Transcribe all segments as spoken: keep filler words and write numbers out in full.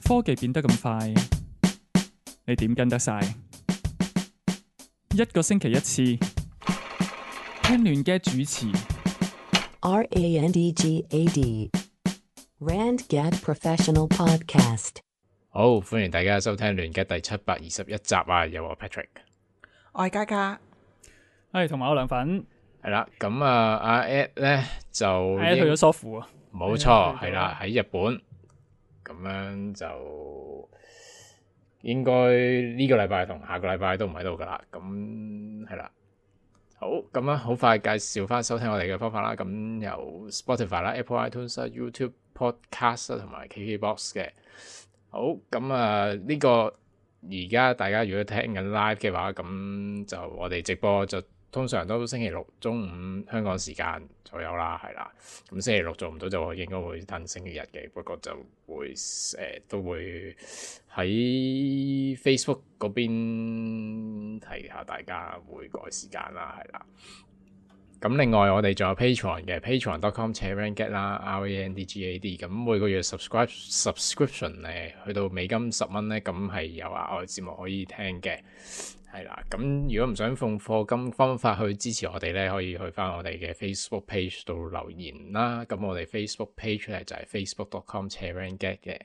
科技變得咁快，你點跟得晒？一個星期一次，聽亂嘅主持。R A N D G A D Randgad Professional Podcast。好，歡迎大家收聽亂嘅第七百二十一集啊！有我 Patrick，我係嘉嘉，係同埋我涼粉，係啦，咁啊阿 Ed 咧就係去咗蘇富啊，冇錯，係啦喺日本，咁樣就應該呢個禮拜同下個禮拜都唔喺度噶啦，咁係啦。好，咁啊，好快介紹翻收聽我哋嘅方法啦。咁由 Spotify 啦、Apple iTunes 啦、YouTube Podcast 啦同埋 K K Box 嘅。好，咁啊呢個而家大家如果聽緊 live 嘅話，咁就我哋直播就通常都星期六中午香港時間左右啦，係啦。咁星期六做唔到就應該會等星期日嘅，不過就會誒、呃、都會喺 Facebook 嗰邊提下大家會改時間啦，係啦。咁另外我哋仲有 Patreon 嘅 patreon dot com 斜 Randgad 啦 R A N D G A D， 咁每個月 subscribe subscription 咧去到美金十蚊咧，咁係有額外節目可以聽嘅，係啦。咁如果唔想奉課金方法去支持我哋咧，可以去翻我哋嘅 Facebook page 度留言啦。咁我哋 Facebook page 咧就係 facebook dot com 斜 Randgad 嘅，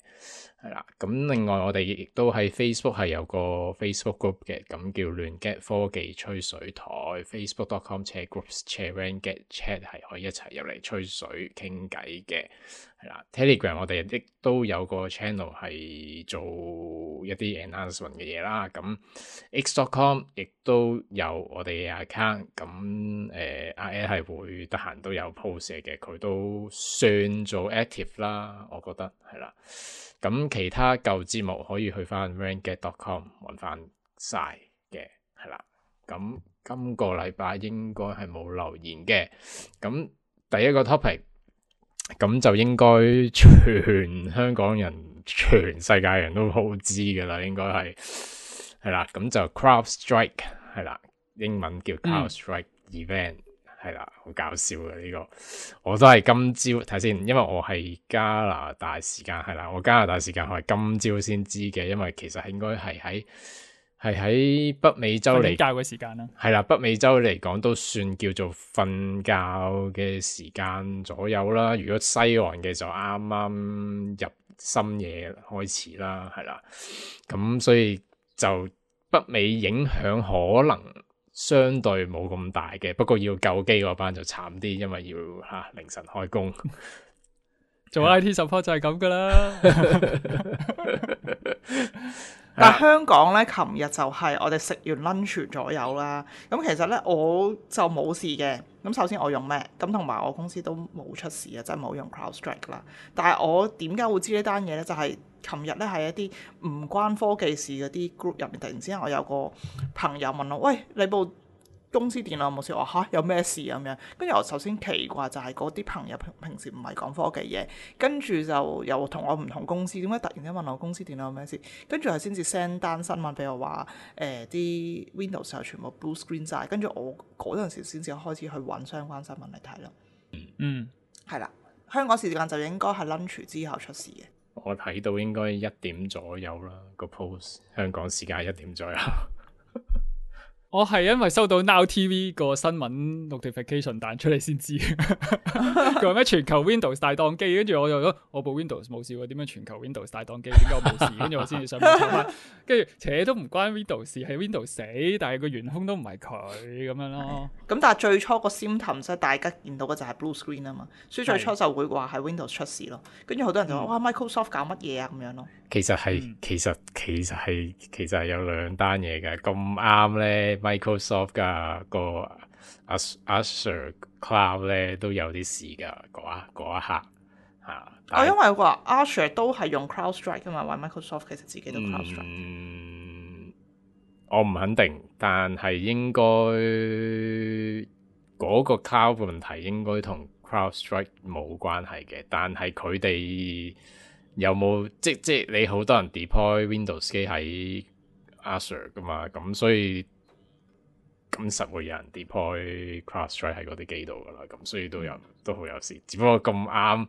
係啦。咁另外我哋亦都喺 Facebook 係有個 Facebook group 嘅，咁叫亂 get 科技吹水台 facebook dot com 斜 groups 斜 Randgad chat 係可以一齊入嚟吹水傾偈嘅，係啦。Telegram 我哋亦都有個 channel 係做一啲 announcement 嘅嘢啦。咁 x dot com 亦都有我哋嘅 account， 咁誒阿 Ed 係會得閒都有 post 嘅，佢都算做 active 啦，我覺得係啦。咁其他舊節目可以去翻 randgad dot com 揾翻晒嘅，係啦。咁今個禮拜應該係冇留言嘅。咁第一個 topic， 咁就應該全香港人、全世界人都好知㗎啦，應該係係啦。咁就 CrowdStrike 係啦，英文叫 CrowdStrike event。嗯係啦，好搞笑嘅呢、這個，我都係今朝睇先，因為我係加拿大時間係啦，我加拿大時間我係今朝先知嘅，因為其實應該係喺係喺北美洲嚟教嘅時間啦，係啦，北美洲嚟講都算叫做瞓覺嘅時間左右啦。如果西岸嘅就啱啱入深夜開始啦，係啦，咁所以就北美影響可能相對冇咁大嘅，不過要救機嗰班就慘啲，因為要吓、啊、凌晨開工。做 I T support 就係咁噶啦。但係香港咧，琴日就係我哋食完 lunch 左右啦。咁其實咧我就冇事嘅。咁首先我用 Mac，咁同埋我公司都冇出事啊，真係冇用 CrowdStrike 啦。但係我點解會知呢單嘢咧？就係琴日咧係一啲唔關科技事嗰啲 group 入面，突然之間我有個朋友問我：喂，你部公司電腦有冇事？我話嚇有咩事咁樣？跟住我首先奇怪就係嗰啲朋友平平時唔係講科技嘢，跟住就又同我唔同公司，點解突然間問我公司電腦有咩事？跟住係先至 send 單新聞俾我話誒啲 Windows 又全部 blue screen 晒，跟住我嗰陣時先至開始去揾相關新聞嚟睇咯。嗯，係啦，香港時間就應該係 lunch 之後出事嘅。我睇到應該一點左右啦，個 post 香港時間一點左右。我係因為收到 Now T V 個新聞 notification 彈出嚟先知，佢話咩全球 Windows 大宕機，跟住我就覺得我部 Windows 冇事喎，點樣全球 Windows 大宕機？點解我冇事？跟住我先至上網查翻，跟住扯都唔關 Windows 事，係 Windows 死，但係個元兇都唔係佢咁樣咯。咁但係最初個 symptom 即係大家見到嘅就係 blue screen 啊嘛，所以最初就會話係 Windows 出事咯。跟住好多人就話、嗯、哇 Microsoft 搞乜嘢啊咁樣咯。其實係、嗯、其實其實係其實係有兩單嘢嘅，咁啱咧 Microsoft 噶個 Azure Cloud 咧都有啲事噶，嗰一嗰一刻嚇。哦，因為話 Azure 都係用 CrowdStrike 噶嘛，話 Microsoft 其實自己都 CrowdStrike。嗯，我唔肯定，但係應該嗰個 Cloud 問題應該同 CrowdStrike 冇關係嘅，但係佢哋有冇即即你好多人 deploy Windows 機喺 Azure 噶嘛，咁所以咁實會有人 deploy CrowdStrike 喺嗰啲機度噶啦，咁所以都有都好有事，只不過咁啱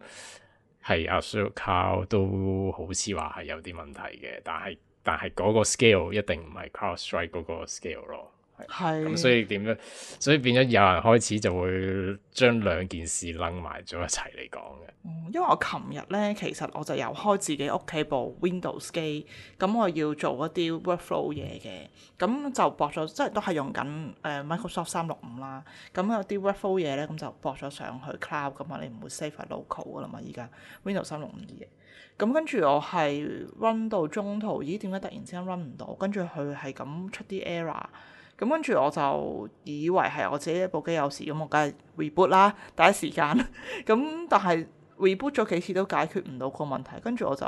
係 Azure Cloud 都好似話係有啲問題嘅，但係但係嗰個 scale 一定唔係 CrowdStrike 嗰個 scale 咯。係咁，所以點樣？所以變咗有人開始就會將兩件事擸埋咗一齊嚟講嘅。嗯，因為我琴日咧，其實我就有開自己屋企部 Windows 機，咁我要做一啲 workflow 嘢嘅，咁就駁咗，即係都係用緊誒、呃、Microsoft 三六五啦。咁有啲 workflow 嘢咧，咁就駁咗上去 cloud 咁啊，你唔會 save 喺 local 噶啦嘛。依家 Windows 三六五啲嘢，咁跟住我係 run 到中途，咦？點解突然之間 run 唔到？跟住佢係咁出啲 error。咁跟住我就以為係我自己一部機有事，咁我梗係 reboot 啦，第一時間。咁但係 reboot 咗幾次都解決唔到個問題，跟住我就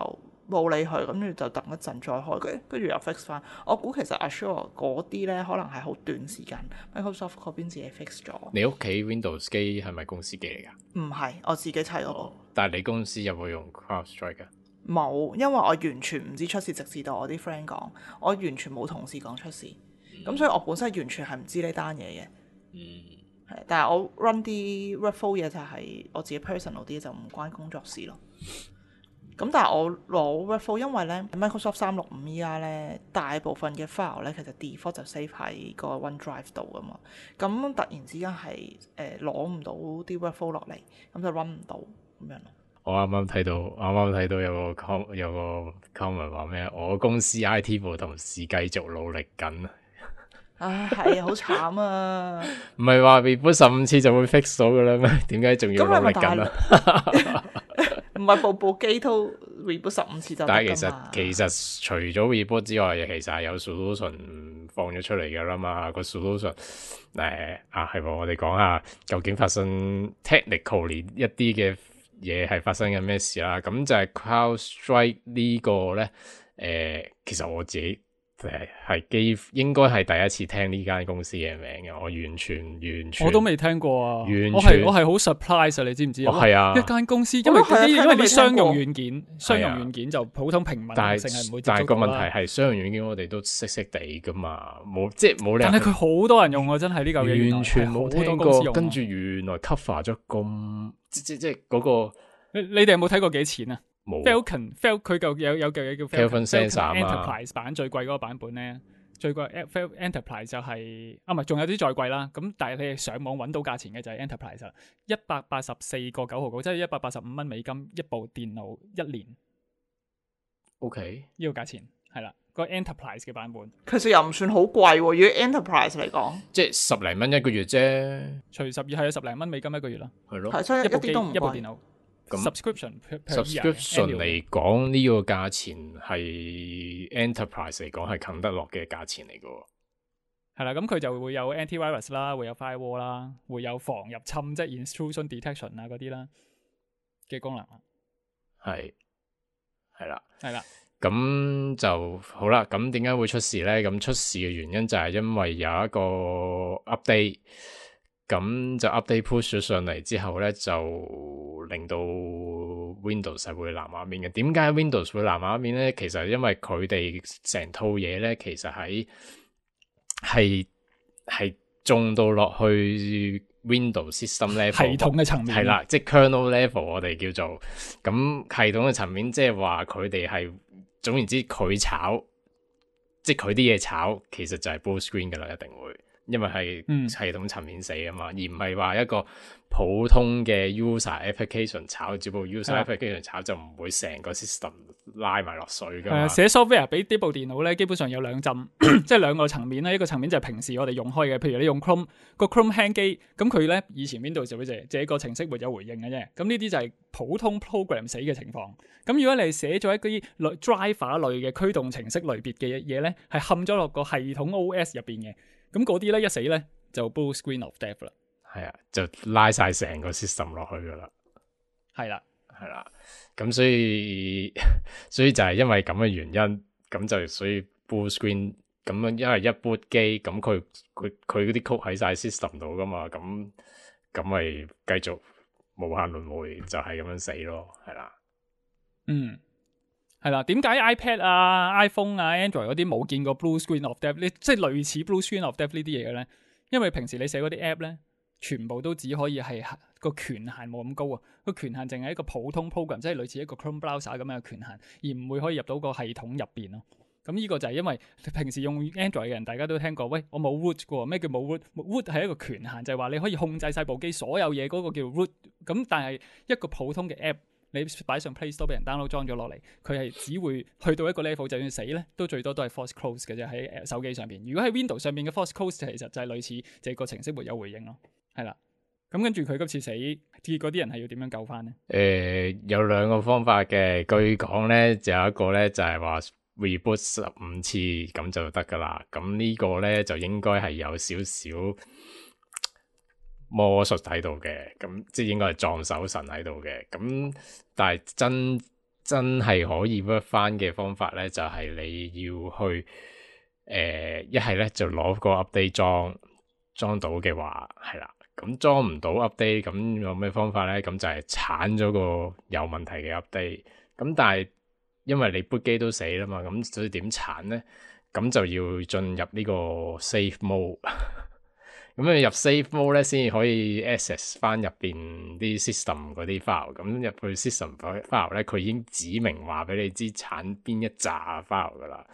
冇理佢，跟住就等一陣再開嘅，跟住又 fix 翻。我估其實 Azure 嗰啲咧，可能係好短時間 ，Microsoft 嗰邊自己 fix 咗。你屋企 Windows 機係咪公司機嚟㗎？唔係，我自己砌嗰個。但係你公司有冇用 CrowdStrike 㗎？冇，因為我完全唔知出事，直至到我啲 friend 講，我完全冇同事講出事。咁、嗯、所以我本身完全係唔知呢單嘢嘅，嗯，係，但係我 run 啲 workflow 嘢就係我自己 personal 啲，就唔關工作事咯。咁但係我攞 workflow，因為咧 Microsoft 三六五依家咧大部分嘅 file 咧其實 default 就 save 喺個 OneDrive 度噶嘛，咁突然之間係誒攞唔到啲 workflow 落嚟，咁就 run 唔到咁樣咯。我啱啱睇到，啱啱睇到有個 com 有個 comment 話咩？我公司 I T 部同事繼續努力緊。唉，係啊，好慘啊！唔係話 reboot 十五次就會 fix 到噶啦咩？點解仲要努力緊啊？唔係部部機都 reboot 十五次就得㗎嘛？但係其實其實除咗 reboot 之外，其實係有 solution 放咗出嚟㗎啦嘛。個 solution 誒啊係喎，我哋講下究竟發生 technically 一啲嘅嘢係發生緊咩事啦。咁就係 CrowdStrike 呢個咧，誒、呃、其實我自己。誒，係幾應該係第一次聽呢間公司嘅名嘅，我完全完全我都未聽過啊！完全我係我係好 surprise 啊！你知唔知啊？係啊，一間公司，因為啲因為啲商用軟件，商用啊軟件就普通平民但性係唔會接觸到啦。但係個問題係商用軟件我哋都識識地噶嘛，冇即係冇理由。但係佢好多人用啊，真係呢嚿嘢完全冇聽過，跟住原來 cover 咗咁即即即嗰個。你你哋有冇睇過幾錢啊？冇。Falcon Fal 佢嚿有有嚿嘢叫 Falcon Sensor Enterprise 版最貴嗰個版本咧。最貴 Enterprise 就係、是、啊，唔係仲有啲再貴啦。咁但係你上網揾到價錢嘅就係 Enterprise 一百八十四個九毫九，即係一百八十五蚊美金一部電腦一年。OK，呢個價錢係啦，個 Enterprise 嘅版本其實又唔算好貴喎。如果 Enterprise 嚟講，即係十零蚊一個月啫。除十二係十零蚊美金一個月啦。係咯，係真係一啲都唔貴。一部電腦。subscription subscription 嚟講呢個價錢係 enterprise 嚟講係啃得落嘅價錢嚟嘅。係啦，咁佢就會有 antivirus 啦，會有 firewall 啦，會有防入侵即係 intrusion detection 啊嗰啲啦嘅功能。係係啦，係啦，咁就好啦。咁點解會出事咧？咁出事嘅原因就係因為有一個 update。咁就 update push 咗上嚟之後咧，就令到 Windows 係會藍畫面嘅。點解 Windows 會藍畫面咧？其實因為佢哋成套嘢咧，其實喺係係種到落去 Windows system level 系統嘅層面，係啦，即係 kernel level 我哋叫做咁系統嘅層面，即係話佢哋係總言之佢炒，即係佢啲嘢炒，其實就係 blue screen 噶啦，一定會。因為係系統層面死啊嘛，嗯、而唔係話一個普通嘅 user application 炒，只不過 user application 炒就唔會成個 system 拉埋落水噶嘛。寫 software 俾呢部電腦咧，基本上有兩浸，即係兩個層面咧。一個層面就係平時我哋用開嘅，譬如你用 Chrome 個 Chrome 輕機，咁佢咧以前 Windows 就會借這個程式沒有回應嘅啫。咁呢啲就係普通 program 死嘅情況。咁如果你寫咗一啲 driver 類嘅驅動程式類別嘅嘢咧，係嵌咗落個系統 O S 入邊嘅。咁嗰啲咧一死咧就 blue screen of death 啦，係啊，就拉晒成個 system 落去噶啦，係啦，係啦，咁所以所以就係因為咁嘅原因，咁就所以 blue screen 咁樣，因為一 boot 機，咁佢佢佢嗰啲曲喺晒 system 度噶嘛，咁咁咪繼續無限輪迴，就係咁樣死咯，係啦，嗯。係啦，點解 iPad 啊、iPhone 啊、Android 嗰啲冇見過 blue screen of death 呢？即係類似 blue screen of death 呢啲嘢嘅咧？因為平時你寫嗰啲 app 咧，全部都只可以係個權限冇咁高啊，個權限淨係一個普通 program，即係類似一個 Chrome browser 咁樣嘅權限，而唔會可以入到個系統入邊咯。咁呢個就係因為平時用 Android 嘅人，大家都聽過，喂，我冇 root 嘅喎，咩叫冇 root？root 係一個權限，就係話你可以控制晒部機所有嘢，嗰個叫 root。咁但係一個普通嘅 app，你擺上 Play Store 俾人 download 裝咗落嚟，佢係只會去到一個 level，就算死咧，都最多都係 force close 嘅啫喺手機上邊。如果喺 Windows 上邊嘅 force close 其實就係類似這個程式沒有回應咯，係啦。咁跟住佢今次死，結果啲人係要點樣救翻呢？誒、呃，有兩個方法嘅，據講咧就有一個咧就係話 reboot 十五次咁就得噶啦。咁呢個咧就應該係有少少魔術喺度嘅，咁即係應該係撞手神喺度嘅。咁但係真真係可以 work 翻嘅方法咧，就係、是、你要去誒一係咧就攞個 update 裝裝到嘅話係啦。咁裝唔到 update，咁有咩方法咧？咁就係鏟咗個有問題嘅 update。咁但係因為你 boot 機都死啦嘛，咁所以點鏟咧？咁就要進入呢個 safe mode。咁你入 safe mode 咧，先至可以 access 翻入邊啲 system 嗰啲 file。咁入去 system file 咧，佢已經指明話俾你知鏟邊一紮 file 噶啦。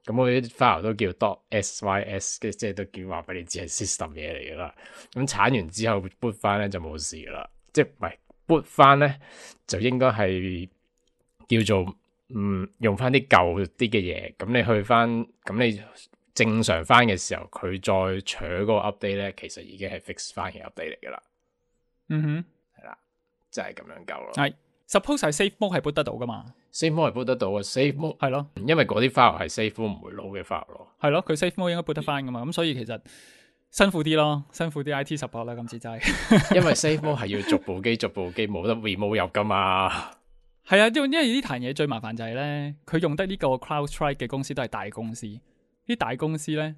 咁我啲 file 都叫 .sys 嘅，即係都叫話俾你知係 system 嘢嚟噶啦。咁鏟完之後 boot 翻咧就冇事噶啦，即係唔係 boot 翻咧就應該係叫做嗯用翻啲舊啲嘅嘢。咁你去翻咁你正常翻嘅時候，佢再取嗰個 update 咧，其實已經係 fix 翻嘅 update 嚟噶啦。嗯哼，係啦，就係咁樣救咯。係 suppose 係 safe mode 係 boot 得到噶嘛？safe mode 係 boot 得到嘅，safe mode 係咯，因為嗰啲 file 係 safe mode 唔會撈嘅 file 咯。係咯，佢 safe mode 應該 boot 得翻噶嘛，咁所以其實辛苦啲咯，辛苦啲 I T support 啦，今次真係。因為 safe mode 係要逐部機逐部機冇得 remove 入噶嘛。係啊，因為因為呢壇嘢最麻煩就係咧，佢用得呢個 CrowdStrike 嘅公司都係大公司，啲大公司咧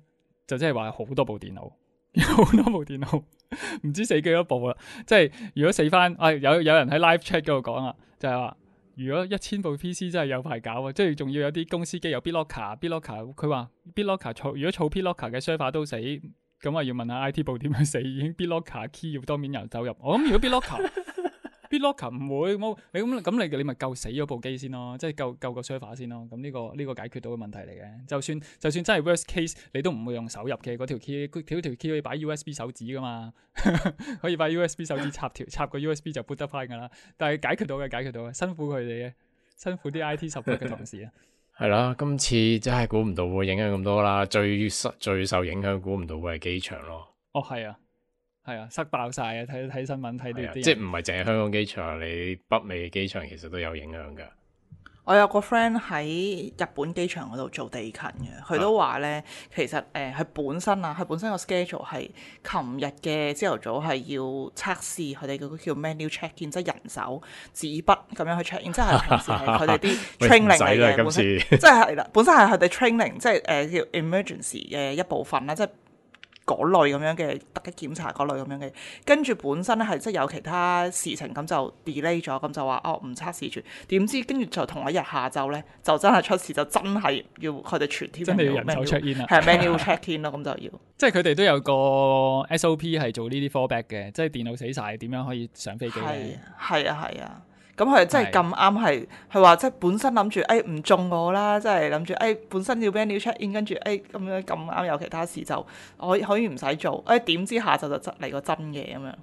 就即係話好多部電腦，好多部電腦，唔知死幾多部啦。即係如果死翻，啊有有人喺 live chat 嗰度講啊，就係話如果一千部 P C 真係有排搞啊，即係仲要有啲公司機有 BitLocker，BitLocker 佢話 BitLocker 儲如果儲 BitLocker 嘅 server 都死，咁啊要問下 I T 部點樣死，已經 BitLocker key 要當面人走入。我諗如果 BitLocker BitLocker 唔會冇你咁咁你你咪救死咗部機先咯，即係救救個 server 先咯。咁呢、這個呢、這個解決到嘅問題嚟嘅。就算就算真係 worst case，你都唔會用手入嘅嗰條 key，條條 key 可以擺 U S B 手指噶嘛，可以擺 U S B 手指插條插個 U S B 就 boot 得翻噶啦。但係解決到嘅解決到嘅，辛苦佢哋嘅，辛苦啲 I T support 嘅同事啊。係啦，今次真係估唔到會影響咁多啦，最最受影響估唔到會係機場咯。哦，係啊。係啊，塞爆晒啊！睇睇新聞睇到啲，即係唔係淨係香港機場，你北美嘅機場其實都有影響噶。我有個 friend 喺日本機場嗰度做地勤嘅，佢都話咧，其實誒，佢、呃、本身啊，佢本身個 schedule 係琴日嘅朝頭早係要測試佢哋嗰個叫 menu check in，即係人手紙筆咁樣去 check in，即係平時係佢哋啲 training 嚟嘅，本身即係係啦，本身係佢哋 training，即係誒、呃、叫 emergency 嘅一部分啦，即係。嗰類咁樣嘅突擊檢查，嗰類咁樣嘅，跟住本身咧係即係有其他事情咁就 delay 咗，咁就話哦唔測試住，點知跟住就同一日下晝咧就真係出事，就真係要佢哋全 team 真係要人手 check in 啊，係 manual check in 咯，咁就要。即係佢哋都有個 S O P 係做呢啲 fallback 嘅，即係電腦死晒點樣可以上飛機咧？係啊係啊。咁佢真係咁啱係，佢話即係本身諗住誒唔中我啦，即係諗住誒本身要 manual check in，跟住誒咁樣咁啱有其他事就可以可以唔使做，誒點知下晝就執嚟個真嘅咁樣，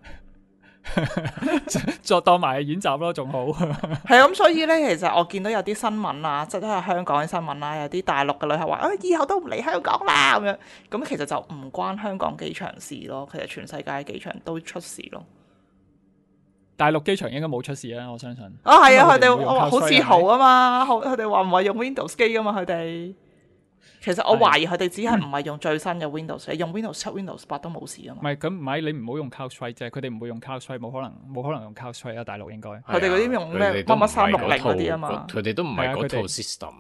作當埋演習咯，仲好。係咁，所以咧其實我見到有啲新聞啊，即係都係香港嘅新聞啦，有啲大陸嘅旅客話啊以後都唔嚟香港啦咁樣，咁其實就唔關香港機場事咯，其實全世界嘅機場都出事咯。大陸機場應該冇出事啦，我相信。啊係啊，佢哋我話好自豪啊嘛，佢哋話唔係用 Windows 機噶嘛，佢哋。其實我懷疑佢哋只係唔係用最新嘅 Windows，用 Windows 七、Windows 八都冇事噶嘛。唔係咁唔係，你唔好用 CrowdStrike 啫，佢哋唔會用 CrowdStrike，冇可能冇可能用 CrowdStrike 啊，大陸應該。佢哋嗰啲用咩乜乜三六零嗰啲啊嘛。佢哋都唔係嗰套 system，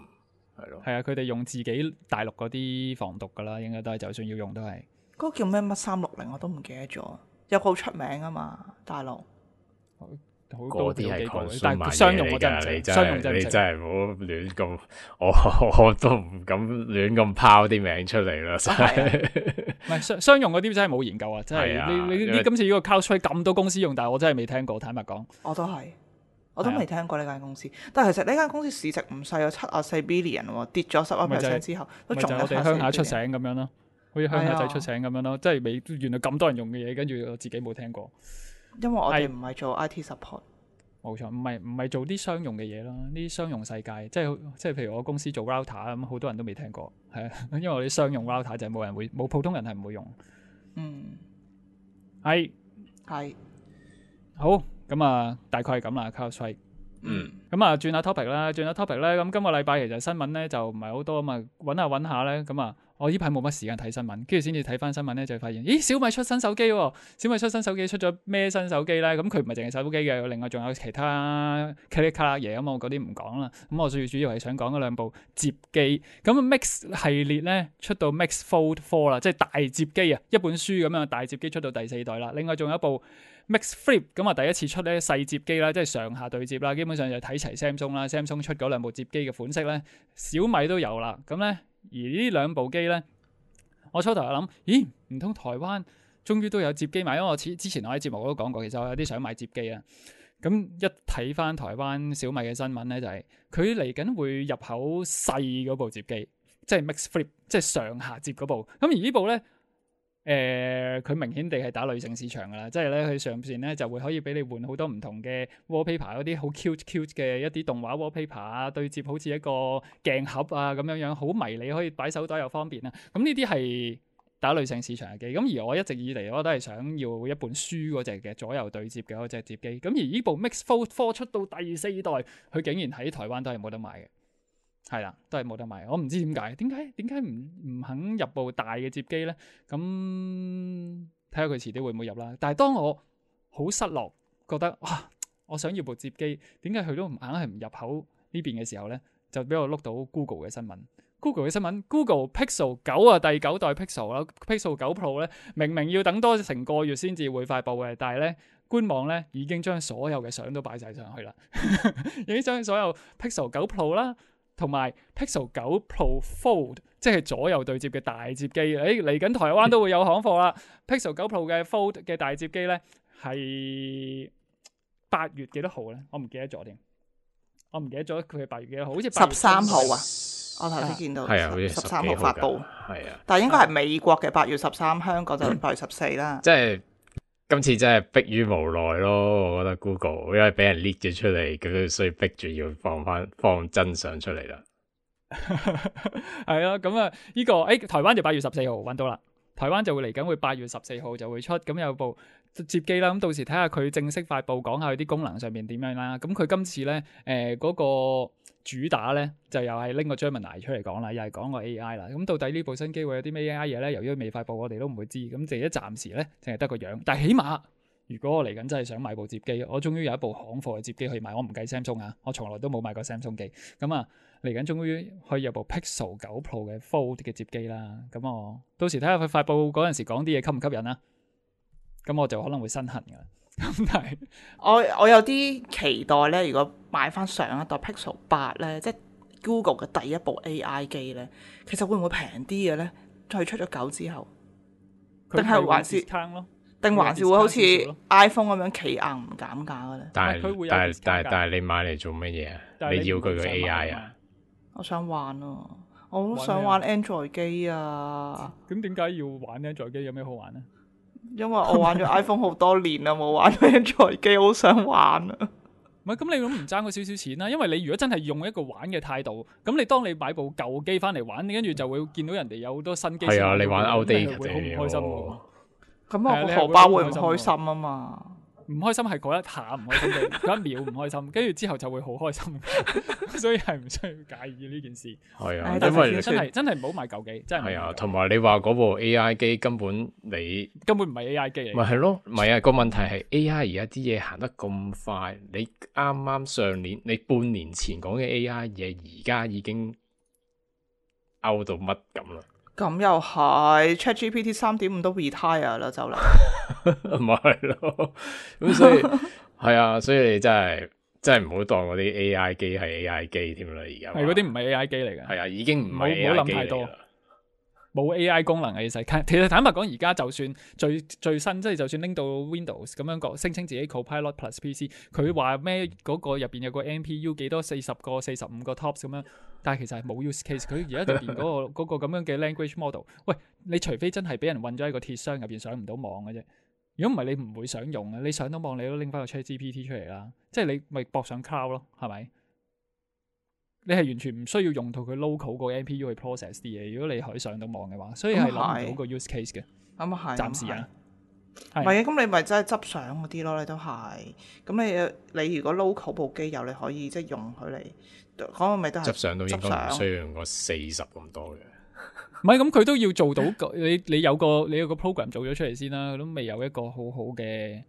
係咯。係啊，佢哋用自己大陸嗰啲防毒噶啦，應該都係，就算要用都係。嗰個叫咩乜三六零我都唔記得咗，有個好出名啊嘛，大陸。好嗰多啲係幾部嘅 consumer 但係商用我真係唔識，嘢嚟㗎你真商用真係唔識。係你真係唔好亂咁，我我都唔敢亂咁拋啲名出嚟啦，真係。唔係商商用嗰啲真係冇研究啊！真係係啊因為你你你今次呢個 CrowdStrike 咁多公司用，但係我真係未聽過，坦白講。我都係，我都未聽過呢間公司。但係其實呢間公司市值唔細，有七啊四 billion 喎，跌咗十一咪就係 percent 之後，都仲有咪就係我哋鄉下出醒咁樣咯，好似鄉下仔出醒咁樣咯，即係未原來咁多人用嘅嘢，跟住我自己冇聽過。因為我係哋唔係做 I T support。冇錯，唔係唔係做啲商用嘅嘢咯，呢啲商用世界，即係即係譬如我公司做 router 咁，好多人都未聽過，係啊，因為我啲商用 router 就係冇人會冇普通人係唔會用。嗯，係係，好咁啊，大概係咁啦 CrowdStrike。嗯，咁啊，轉下 topic 啦，轉下 topic 咧，咁今個禮拜其實新聞咧就唔係好多啊嘛，揾下揾下咧，咁啊，我呢排冇乜時間睇新聞，跟住先至睇翻新聞咧，就發現，咦，小米出新手機喎，小米出新手機出咗咩新手機咧？咁佢唔係淨係手機嘅，另外仲有其他卡哩卡啦嘢，咁我嗰啲唔講啦。咁我最主要係想講嗰兩部摺機，咁 Mix 系列咧出到 Mix Fold Four 啦，即係大摺機啊，一本書咁樣大摺機出到第四代啦。另外仲有一部Mix Flip 咁啊，第一次出咧細摺機啦，即係上下對摺啦，基本上就睇齊 Samsung 啦 ，Samsung 出嗰兩部摺機嘅款式咧，小米都有啦。咁咧，而呢兩部機咧，我初頭又諗，咦，唔通台灣終於都有摺機買？因為我之之前我喺節目我都講過，其實我有啲想買摺機啊。咁一睇翻台灣小米嘅新聞咧，就係佢嚟緊會入口細嗰部摺機，即係 Mix Flip，即係上下摺嗰部。咁而呢部咧。誒佢、呃、明顯地係打女性市場㗎啦，即係咧佢上邊咧就會可以俾你換好多唔同嘅 wallpaper 嗰啲好 cute cute 嘅一啲動畫 wallpaper 啊，對接好似一個鏡盒啊咁樣樣，好迷你，可以擺手袋又方便啊。咁呢啲係打女性市場嘅機，咁而我一直以嚟我都係想要一本書嗰隻嘅左右對接嘅嗰隻摺機，咁而呢部 Mix Fold Four 出到第四代，佢竟然喺台灣都係冇得賣嘅。係啦，都係冇得賣。我唔知點解，點解點解唔唔肯入部大嘅摺機咧？咁睇下佢遲啲會唔會入啦。但係當我好失落，覺得哇，我想要部摺機，點解佢都唔硬係唔入口呢邊嘅時候咧，就俾我碌到 Google 嘅新聞。Google 嘅新聞 ，Google Pixel 九啊，第九代 Pixel 啦，Pixel 九 Pro 咧，明明要等多成個月先至會發布嘅，但係咧官網咧已經將所有嘅相都擺晒上去啦，已經將所有 Pixel 九 Pro 啦。同埋 Pixel 九 Pro Fold， 即係左右對接嘅大摺機，誒嚟緊台灣都會有行貨啦。Pixel 九 Pro 嘅 Fold 嘅大摺機咧係八月幾多號咧？我唔記得咗添，我唔記得咗佢係八月幾多號，好似十三號啊！我頭先見到係啊，好似十三號發布，係啊，但係應該係美國嘅八月十三，香港就八月十四啦。即係。今次真係迫於無奈咯，我覺得 Google 因為俾人 leak 咗出嚟，咁所以逼住要放翻放真相出嚟啦。係啊，咁啊，呢個誒台灣就八月十四號揾到啦，台灣就會嚟緊會八月十四號就會出，咁有部摺機啦，咁到時睇下佢正式發布，講下佢啲功能上面點樣啦。咁佢今次咧誒嗰個主打咧就又係拎個 Gemini 出嚟講啦，又係講個 A I 啦。咁到底呢部新機會有啲咩 A I 嘢咧？由於未發布，我哋都唔會知。咁淨係暫時咧，淨係得個樣。但係起碼，如果我嚟緊真係想買部摺機，我終於有一部行貨嘅摺機可以買。我唔計 Samsung 啊，我從來都冇買過 Samsung 機。咁啊，嚟緊終於可以有部 Pixel 九 Pro 嘅 Fold 嘅摺機啦。咁我到時睇下佢發布嗰陣時講啲嘢吸唔吸引啦。咁我就可能會身痕㗎啦。咁但係我我有啲期待咧，如果買翻上一代 Pixel 八咧，即係 Google 嘅第一部 A I 機咧，其實會唔會平啲嘅咧？再出咗九之後，定係還是定還是會好似 iPhone 咁樣企硬唔減價嘅咧？但係佢會有但係 discount 但係㗎但係你買嚟做乜嘢啊？但係你你要佢個唔想 A 買 I 啊啊？我想玩啊！我都想玩 Android 機啊！咁點解要玩 Android 機？有咩好玩咧？因為我玩咗 iPhone 好多年啦，冇玩 Android 機，好想玩啊！唔係咁，你都唔爭嗰少少錢啦。因為你如果真係用一個玩嘅態度，咁你當你買部舊機翻嚟玩，跟住就會見到人哋有好多新機。係啊，你玩 outdated 會好唔開心喎。咁我個荷包會唔開心啊嘛？唔開心係嗰一下唔開心嘅，嗰一秒唔開心，跟住之後就會好開心，所以係唔需要介意呢件事。係啊，但因為真係真係唔好買舊機，真係唔好買舊機。係啊，同埋你話嗰部 A I 機根本你根本唔係 A I 機嚟。咪係咯，唔係啊，個問題係 A I 而家啲嘢行得咁快，你啱啱上年你半年前講嘅 A I 嘢，而家已經 out 到乜咁啦。咁又係 ChatGPT 三點五都 retire 啦，就嚟。咪係咯，咁所以係啊，所以你真係真係唔好當嗰啲 A I 機係 A I 機添啦，而家係嗰啲唔係 A I 機嚟嘅。係啊，已經唔係 A 唔好 I 諗太多機嚟啦。冇 A I 功能嘅其實，其實坦白講，而家就算最最新，即係就算拎到 Windows 咁樣講，聲稱自己 Copilot Plus P C，佢話咩嗰個入邊有個 N P U 幾多四十個、四十五個 tops 咁樣，但係其實係冇 use case。佢而家入邊嗰個嗰個咁樣嘅 language model，喂，你除非真係俾人韞咗喺個鐵箱入邊上唔到網嘅啫。如果唔係，你唔會想用嘅。你上到網，你都拎翻個 ChatGPT 出嚟啦，即係你咪駁上 cloud 咯，係咪？你係完全唔需要用到佢 local 個 N P U 去 process 啲嘢，如果你可以上到網嘅話，所以係諗唔到個 use case 嘅。咁啊係，暫時啊，唔係啊，咁你咪真係執相嗰啲咯，你都係。咁你你如果 local 部機有，你可以即係用佢嚟嗰個咪都係執相都應該唔需要用個四十咁多嘅。唔係咁，佢都要做到個你你有個你有個 program 做咗出嚟先啦，佢都未有一個好好嘅，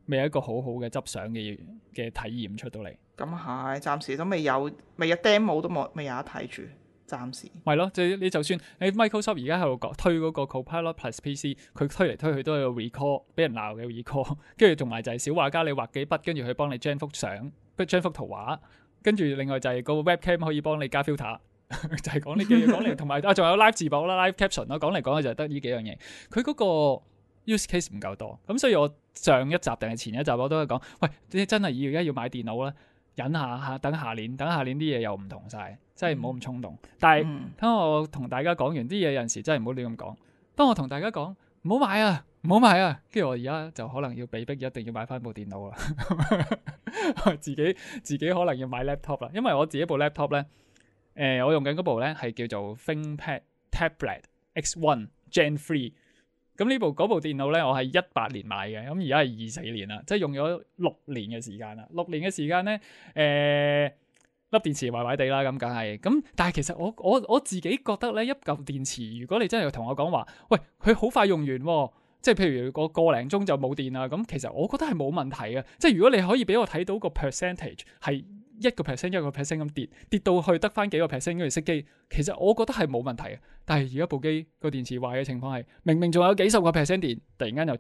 未有一個好好嘅執相嘅嘅體驗出到嚟。咁係，暫時都未有，未有 demo 都冇，未有得睇住，暫時。係咯，即係你就算你 Microsoft 而家喺度講推嗰個 Copilot Plus P C，佢推嚟推去都係 recall，俾人鬧嘅 recall， 跟住同埋就係小畫家你畫幾筆，跟住佢幫你 gen 幅相，gen 幅圖畫，跟住另外就係個 webcam 可以幫你加 filter， 就係講呢幾樣講嚟，同埋啊仲有 live 字幕啦、live caption 啦，講嚟講去就係得呢幾樣嘢。佢嗰個 use case 唔夠多，咁所以我上一集定係前一集我都係講，喂，你真係要而家要買電腦啦。忍下下，等下年，等下年啲嘢又唔同晒，真係唔好咁衝動。但係當我同大家講完啲嘢，有陣時真係唔好亂咁講。當我同大家講唔好買啊，唔好買啊，跟住我而家就可能要被逼一定要買翻部電腦啦。自己自己可能要買 laptop 啦，因為我自己部 laptop 咧，誒、呃，我用緊嗰部咧係叫做 ThinkPad Tablet X One Gen Three。咁呢部嗰部電腦咧，我係一八年買嘅，咁而家係二四年啦，即係用咗六年嘅時間啦。六年嘅時間咧，誒、呃、粒電池壞壞地啦，咁梗係。咁但係其實我我我自己覺得咧，一嚿電池，如果你真係同我講話，喂，佢好快用完喎，即係譬如個個零鐘就冇電啦，咁其實我覺得係冇問題嘅。即係如果你可以俾我睇到個 percentage 係一個 percent 一個 percent 咁跌，跌到去得翻幾個 percent 跟住熄機，其實我覺得係冇問題嘅。但係而家部機個電池壞嘅情況係，明明仲有幾十個 percent 電，突然間就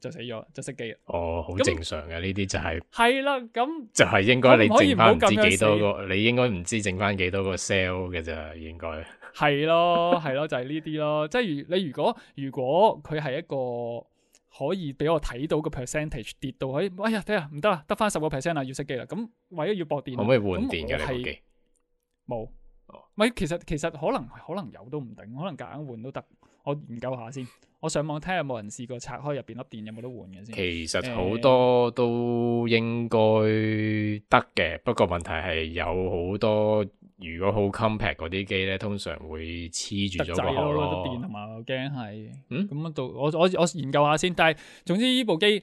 就死咗，就熄機啦。哦，好正常嘅，呢啲就係係啦，咁就係應該你剩翻唔知幾多個，死你應該唔知剩翻幾多個 cell 嘅咋，應該係咯係咯，就係呢啲咯。即係如你如果如果佢係一個可以俾我睇到個 percentage 跌到可以，哎呀，睇下唔得啦，得翻十個 percent 啦，要熄機啦。咁為咗要駁電，可唔可以換電嘅你部機？冇，咪其實其實可能可能有都唔定，可能夾硬換都得。我研究下先，我上網睇下有冇人試過拆開入邊粒電有冇得換嘅先。其實好多都應該得嘅，呃、不過問題係有好多如果好 compact 嗰啲機咧，通常會黐住咗個殼咯。電同埋我驚係，嗯，咁到我我我研究下先。但係總之呢部機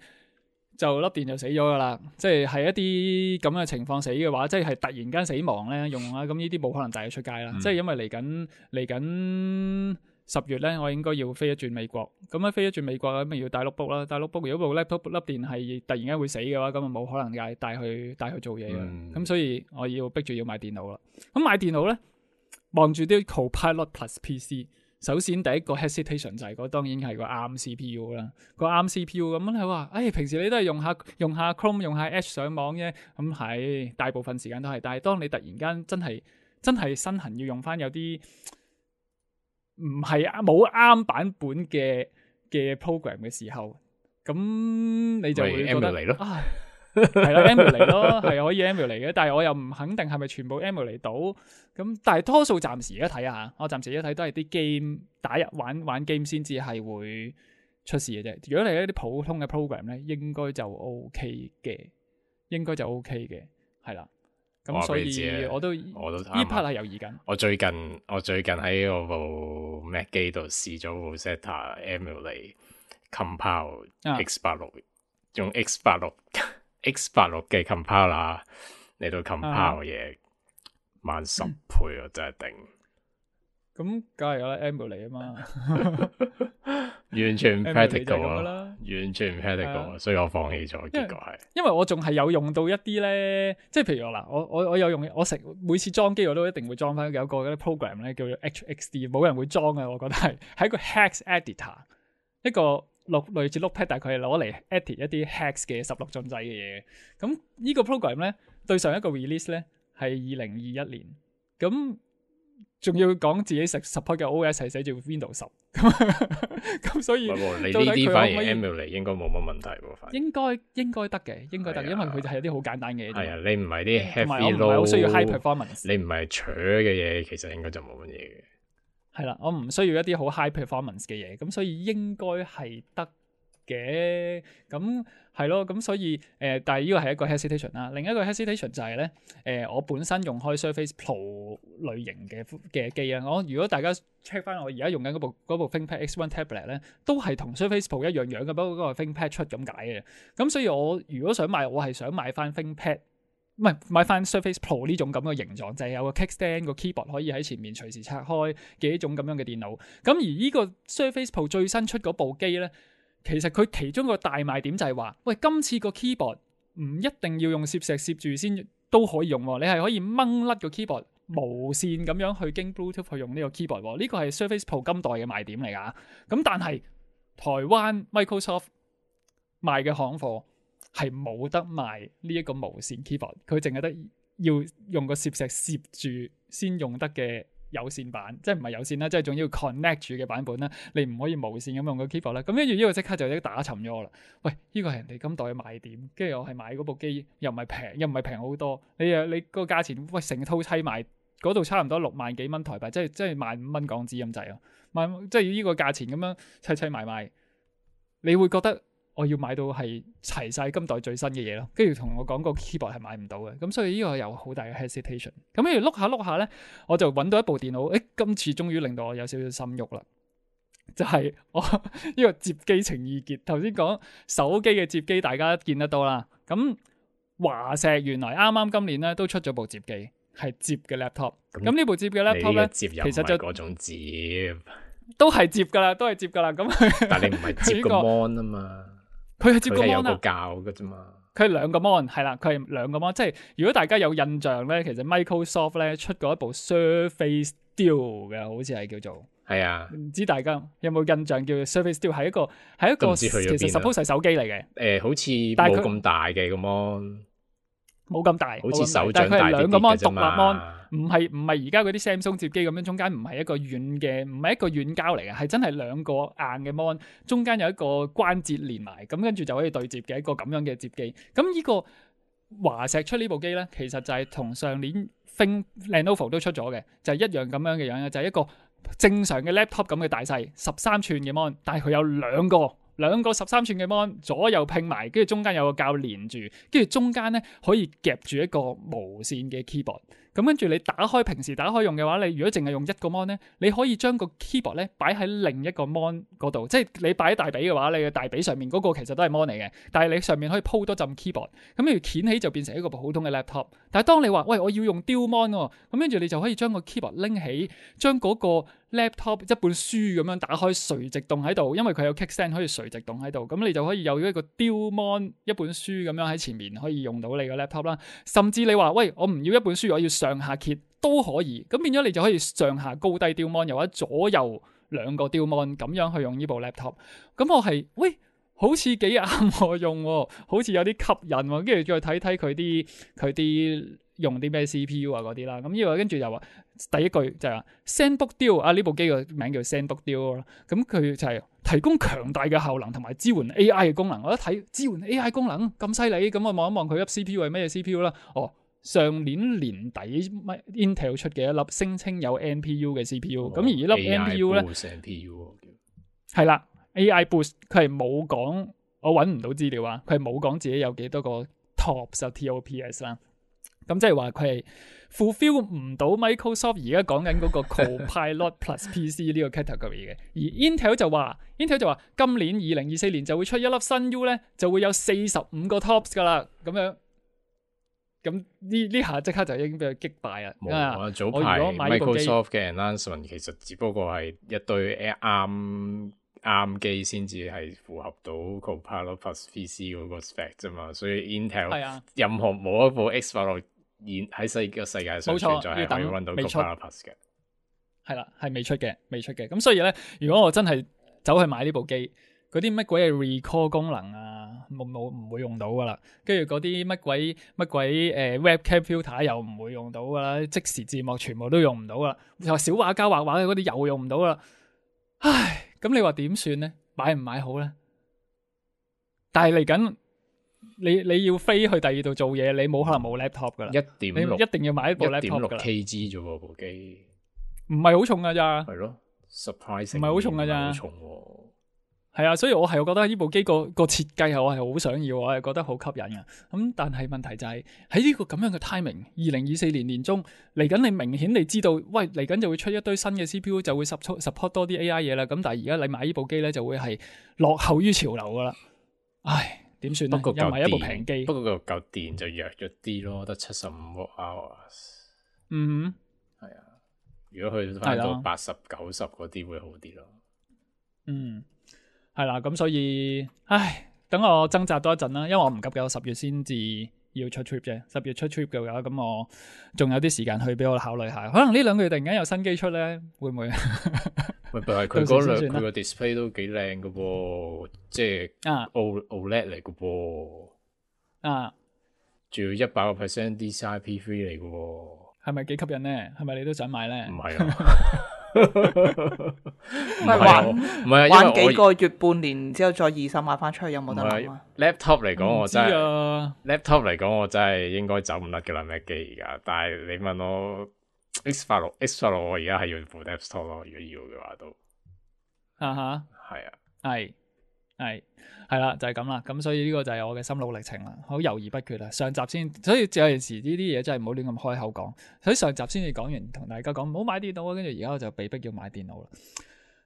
就粒電就死咗噶啦，即係係一啲咁嘅情況死嘅話，即係突然間死亡咧用啦，咁呢啲冇可能帶佢出街啦。嗯、即係因為嚟緊嚟緊。十月咧，我應該要飛一轉美國，咁樣飛一轉美國咁咪要帶 notebook 啦，帶 notebook 如果部 laptop 粒電係突然間會死嘅話，咁啊冇可能帶帶去帶去做嘢嘅，咁、嗯、所以我要逼住要買電腦啦。咁買電腦咧，望住啲 Copilot Plus P C， 首先第一個 hesitation 就係嗰當然係個 A R M C P U 啦，個 A R M C P U 咁樣你話，誒平時你都係用下用下 Chrome 用下 Edge 上網啫，咁係大部分時間都係，但係當你突然間真係真係身痕要用翻有啲。唔係冇啱版本嘅嘅 program 嘅時候，咁你就會覺得嚟咯，係啦 emulate 咯，係可以 emulate 嘅，但係我又唔肯定係咪全部 emulate 到，咁但係多數暫時而家睇下，我暫時而家睇都係啲 game 打入玩玩 game 先至係會出事嘅啫。如果你係一啲普通嘅 program 咧，應該就 OK 嘅，應該就 OK 嘅，係啦。咁所以我都我都呢 part 係猶豫緊。我最近我最近喺我部 Mac 機度試咗部 Zeta Emulate Compile X 八六，用 X 八六 X 八六嘅 compiler 嚟到 compile 嘢，慢十倍啊！真係頂。咁梗係有啦 Emulate 啊嘛，完全唔 practical 啦，完全唔 practical，所以我放棄咗。結果係，因為我仲係有用到一啲咧，即係譬如我嗱，我我我有用，我成每次裝機我都一定會裝翻有個嗰啲 program 咧，叫做 H X D， 冇人會裝嘅，我覺得係係一個 hex editor，一個錄類似 Notepad，但係佢係攞嚟 edit 一啲 hex 嘅十六進制嘅嘢。咁呢個 program 咧對上一個 release 咧係二零二一年，咁仲要講自己 support 嘅 O S 係寫住 Windows 十，咁所以你呢啲反而 emulate 應該冇乜問題喎，反而應該應該得嘅，應該得，因為佢就係有啲好簡單嘅嘢。係啊，你唔係啲 heavy 同埋我唔係好需要 high performance，你唔係扯嘅嘢，其實應該就冇乜嘢嘅。係啦，我唔需要一啲好 high performance 嘅嘢，咁所以應該係得嘅。咁係咯，咁所以誒、呃，但係呢個係一個 hesitation 啦。另一個 hesitation 就係咧，誒、呃，我本身用開 Surface Pro 類型嘅嘅機啊。我如果大家 check 翻我而家用緊嗰部嗰部 ThinkPad X One Tablet 咧，都係同 Surface Pro 一樣樣嘅，不過嗰個 ThinkPad 出咁解嘅。咁所以我如果想買，我係想買翻 ThinkPad。唔係買翻 Surface Pro 呢種咁嘅形狀，就係、是、有個 kickstand 個 keyboard 可以喺前面隨時拆開嘅一種咁樣嘅電腦。咁而呢個 Surface Pro 最新出嗰部機咧，其實佢其中個大賣點就係話，喂，今次個 keyboard 唔一定要用攝石攝住先都可以用喎，你係可以掹甩個 keyboard 無線咁樣去經 Bluetooth 去用呢個 keyboard 喎。呢個係 Surface Pro 今代嘅賣點嚟㗎。咁但係台灣 Microsoft 賣嘅行貨係冇得賣呢一個無線 keyboard，佢淨係得要用個攝石攝住先用得嘅有線版，即係唔係有線啦，即係仲要 connect 住嘅版本啦。你唔可以無線咁用個 keyboard 啦。咁跟住呢個即刻就已經打沉咗我啦。喂，呢個係人哋今代嘅賣點，跟住我係買嗰部機又唔係平，又唔係平好多。你啊你個價錢，喂，成套砌埋嗰度差唔多六萬幾蚊台幣，即係即係萬五蚊港紙咁滯啊！萬即係呢個價錢咁樣砌砌埋埋，你會覺得我要買到係齊晒今代最新嘅嘢咯，跟住同我講個 keyboard 係買唔到嘅，咁所以呢個有好大嘅 hesitation。咁跟住碌下碌下咧，我就揾到一部電腦，誒，今次終於令到我有少少心喐啦，就係、是、我呢個摺機情意結。頭先講手機嘅摺機，大家見得到啦。咁華碩原來啱啱今年咧都出咗部摺機，係摺嘅 laptop。咁呢部摺嘅 laptop 咧，其實就嗰種摺，都係摺噶啦，都係摺噶啦。咁但係你唔係摺個 mon 啊嘛。佢係接個 mon 啊，佢係有個教嘅啫嘛。佢係兩個 mon， 係啦，佢係兩個 mon。即係如果大家有印象咧，其實 Microsoft 咧出過一部 Surface Duo 嘅，好似係叫做。係啊。唔知大家有冇印象叫做 Surface Duo？ 係一個係一個其實 suppose 係手機嚟嘅。誒、呃，好似冇咁大嘅個 mon。冇咁大，好似手掌大啲兩個 mon 獨立嘅啫嘛。mon，唔係唔係而家嗰啲 Samsung 摺機咁樣，中間唔係一個軟嘅，唔係一個軟膠嚟嘅，係真係兩個硬嘅 mon，中間有一個關節連埋，咁跟住就可以對摺嘅一個咁樣嘅摺機。咁呢個華碩出呢部機咧，其實就係同上年 Think Lenovo 都出咗嘅，就係、是、一樣咁樣嘅樣嘅，就係、是、一個正常嘅 laptop 咁嘅大細，十三寸嘅 mon， 但係佢有兩個。兩個十三寸嘅 mon 左右拼埋，跟住中間有個膠連住，跟住中間咧可以夾住一個無線嘅 keyboard。咁跟住你打開平時打開用嘅話，你如果淨係用一個 mon 咧，你可以將個 keyboard 咧擺喺另一個 mon 嗰度，即係你擺喺大髀嘅話，你嘅大髀上面嗰個其實都係 mon 嚟嘅，但係你上面可以鋪多陣 keyboard，咁你掀起就變成一個普通嘅 laptop。但係當你話喂我要用 dual mon 喎，咁跟住你就可以將個 keyboard 拎起，將嗰個 laptop 一本書咁樣打開垂直動喺度，因為佢有 kickstand 可以垂直動喺度，咁你就可以有一個 dual mon 一本書咁樣喺前面可以用到你個 laptop 啦。甚至你話喂我唔要一本書，我要上下揭都可以，咁變咗你就可以上下高低 dual mon，又或者左右兩個 dual mon 咁樣去用呢部 laptop。咁我係喂好似幾啱我用喎，好似有啲吸引喎，跟住再睇睇佢啲佢啲用啲咩 C P U 啊嗰啲啦。咁呢個跟住就話第一句就係話 ZenBook Duo 啊，呢部機個名叫 ZenBook Duo 啦。咁佢就係提供強大嘅效能同埋支援 A I 嘅功能。我一睇支援 A I 功能咁犀利，咁我望一望佢粒 C P U 係咩 C P U 啦。哦，上年年底 Intel 出嘅一粒聲稱有 N P U 嘅 C P U，咁、哦、而呢粒 N P U 咧係啦 A I Boost， 佢係冇講，我揾唔到資料啊，佢係冇講自己有幾多個 TOPS 啊 T O P S 啦。咁即係話佢係 fulfill 唔到 Microsoft 而家講緊嗰個 Copilot Plus P C 呢個 category 嘅。而 Intel 就話 Intel 就話今年二零二四年就會出一粒新 U 咧，就會有四十五個 TOPS 噶啦，咁樣。咁呢呢下即刻就已經俾佢擊敗啦。冇啊，早排 Microsoft 嘅 announcement 其實只不過係一堆 ARM ARM 機先至係符合到 Copilot Plus P C 嗰個 spec 啫嘛，所以 Intel、啊、任何冇一部 X 八六現喺世個世界上存在係可以 run 到 Copilot Plus 嘅。係啦，係未出嘅，未出嘅。咁所以咧，如果我真係走去買呢部機，嗰啲乜鬼嘅 recall 功能啊，冇冇唔會用到噶啦。跟住嗰啲乜鬼乜鬼誒、呃、webcam filter 又唔會用到噶啦，即時字幕全部都用唔到啦。又話小畫家畫畫嘅嗰啲又用唔到啦。唉，咁你話點算咧？買唔買好咧？但係嚟緊，你你要飛去第二度做嘢，你冇可能冇 laptop 噶啦。一點六你一定要買一部一點 laptop 六噶啦。kg 啫喎部機，唔係好重噶咋？係咯，surprise 唔係好重㗎咋好重喎。係啊，所以我係覺得呢部機個個設計係我係好想要，我係覺得好吸引嘅。咁但係問題就係喺呢個咁樣嘅 timing，二零二四年年中嚟緊，你明顯地知道，喂嚟緊就會出一堆新嘅 C P U，就會 support support 多啲 A I 嘢啦。咁但係而家你買呢部機咧，就會係落後於潮流噶啦。唉，點算咧？不過又唔係一部嚿平機，不過個嚿電就弱咗啲咯，得七十五 hours。嗯係啊，如果去翻到八十九十嗰啲會好啲咯。嗯。係啦，咁所以，唉，等我掙扎多一陣啦，因為我唔急嘅，我十月先至要出 trip 啫。十月出 trip 嘅話，咁我仲有啲時間去俾我考慮下。可能呢兩個月突然間有新機出咧，會唔會？喂，但係佢嗰兩佢個 display 都幾靚嘅噃，即係啊 O OLED 嚟嘅噃，啊，仲要一百個 percent D C I P three 嚟嘅喎，係咪幾吸引咧？係咪你都想買咧？唔係啊。唔係玩唔係啊，玩幾個月半年之後再二手買翻出去有冇得諗啊 ？laptop 嚟講我真係、啊、laptop 嚟講我真係應該走唔甩嘅啦，Mac 機而家。但係你問我 X 八六 X 八六我而家係要部 desktop 咯，如果要嘅話都啊哈，係啊，係係係啦，就係咁啦。咁所以呢個就係我嘅心路歷程啦，好猶豫不決啊。上集先，所以有陣時呢啲嘢真係唔好亂咁開口講。所以上集先至講完，同大家講唔好買電腦啊，跟住而家我就被逼要買電腦啦。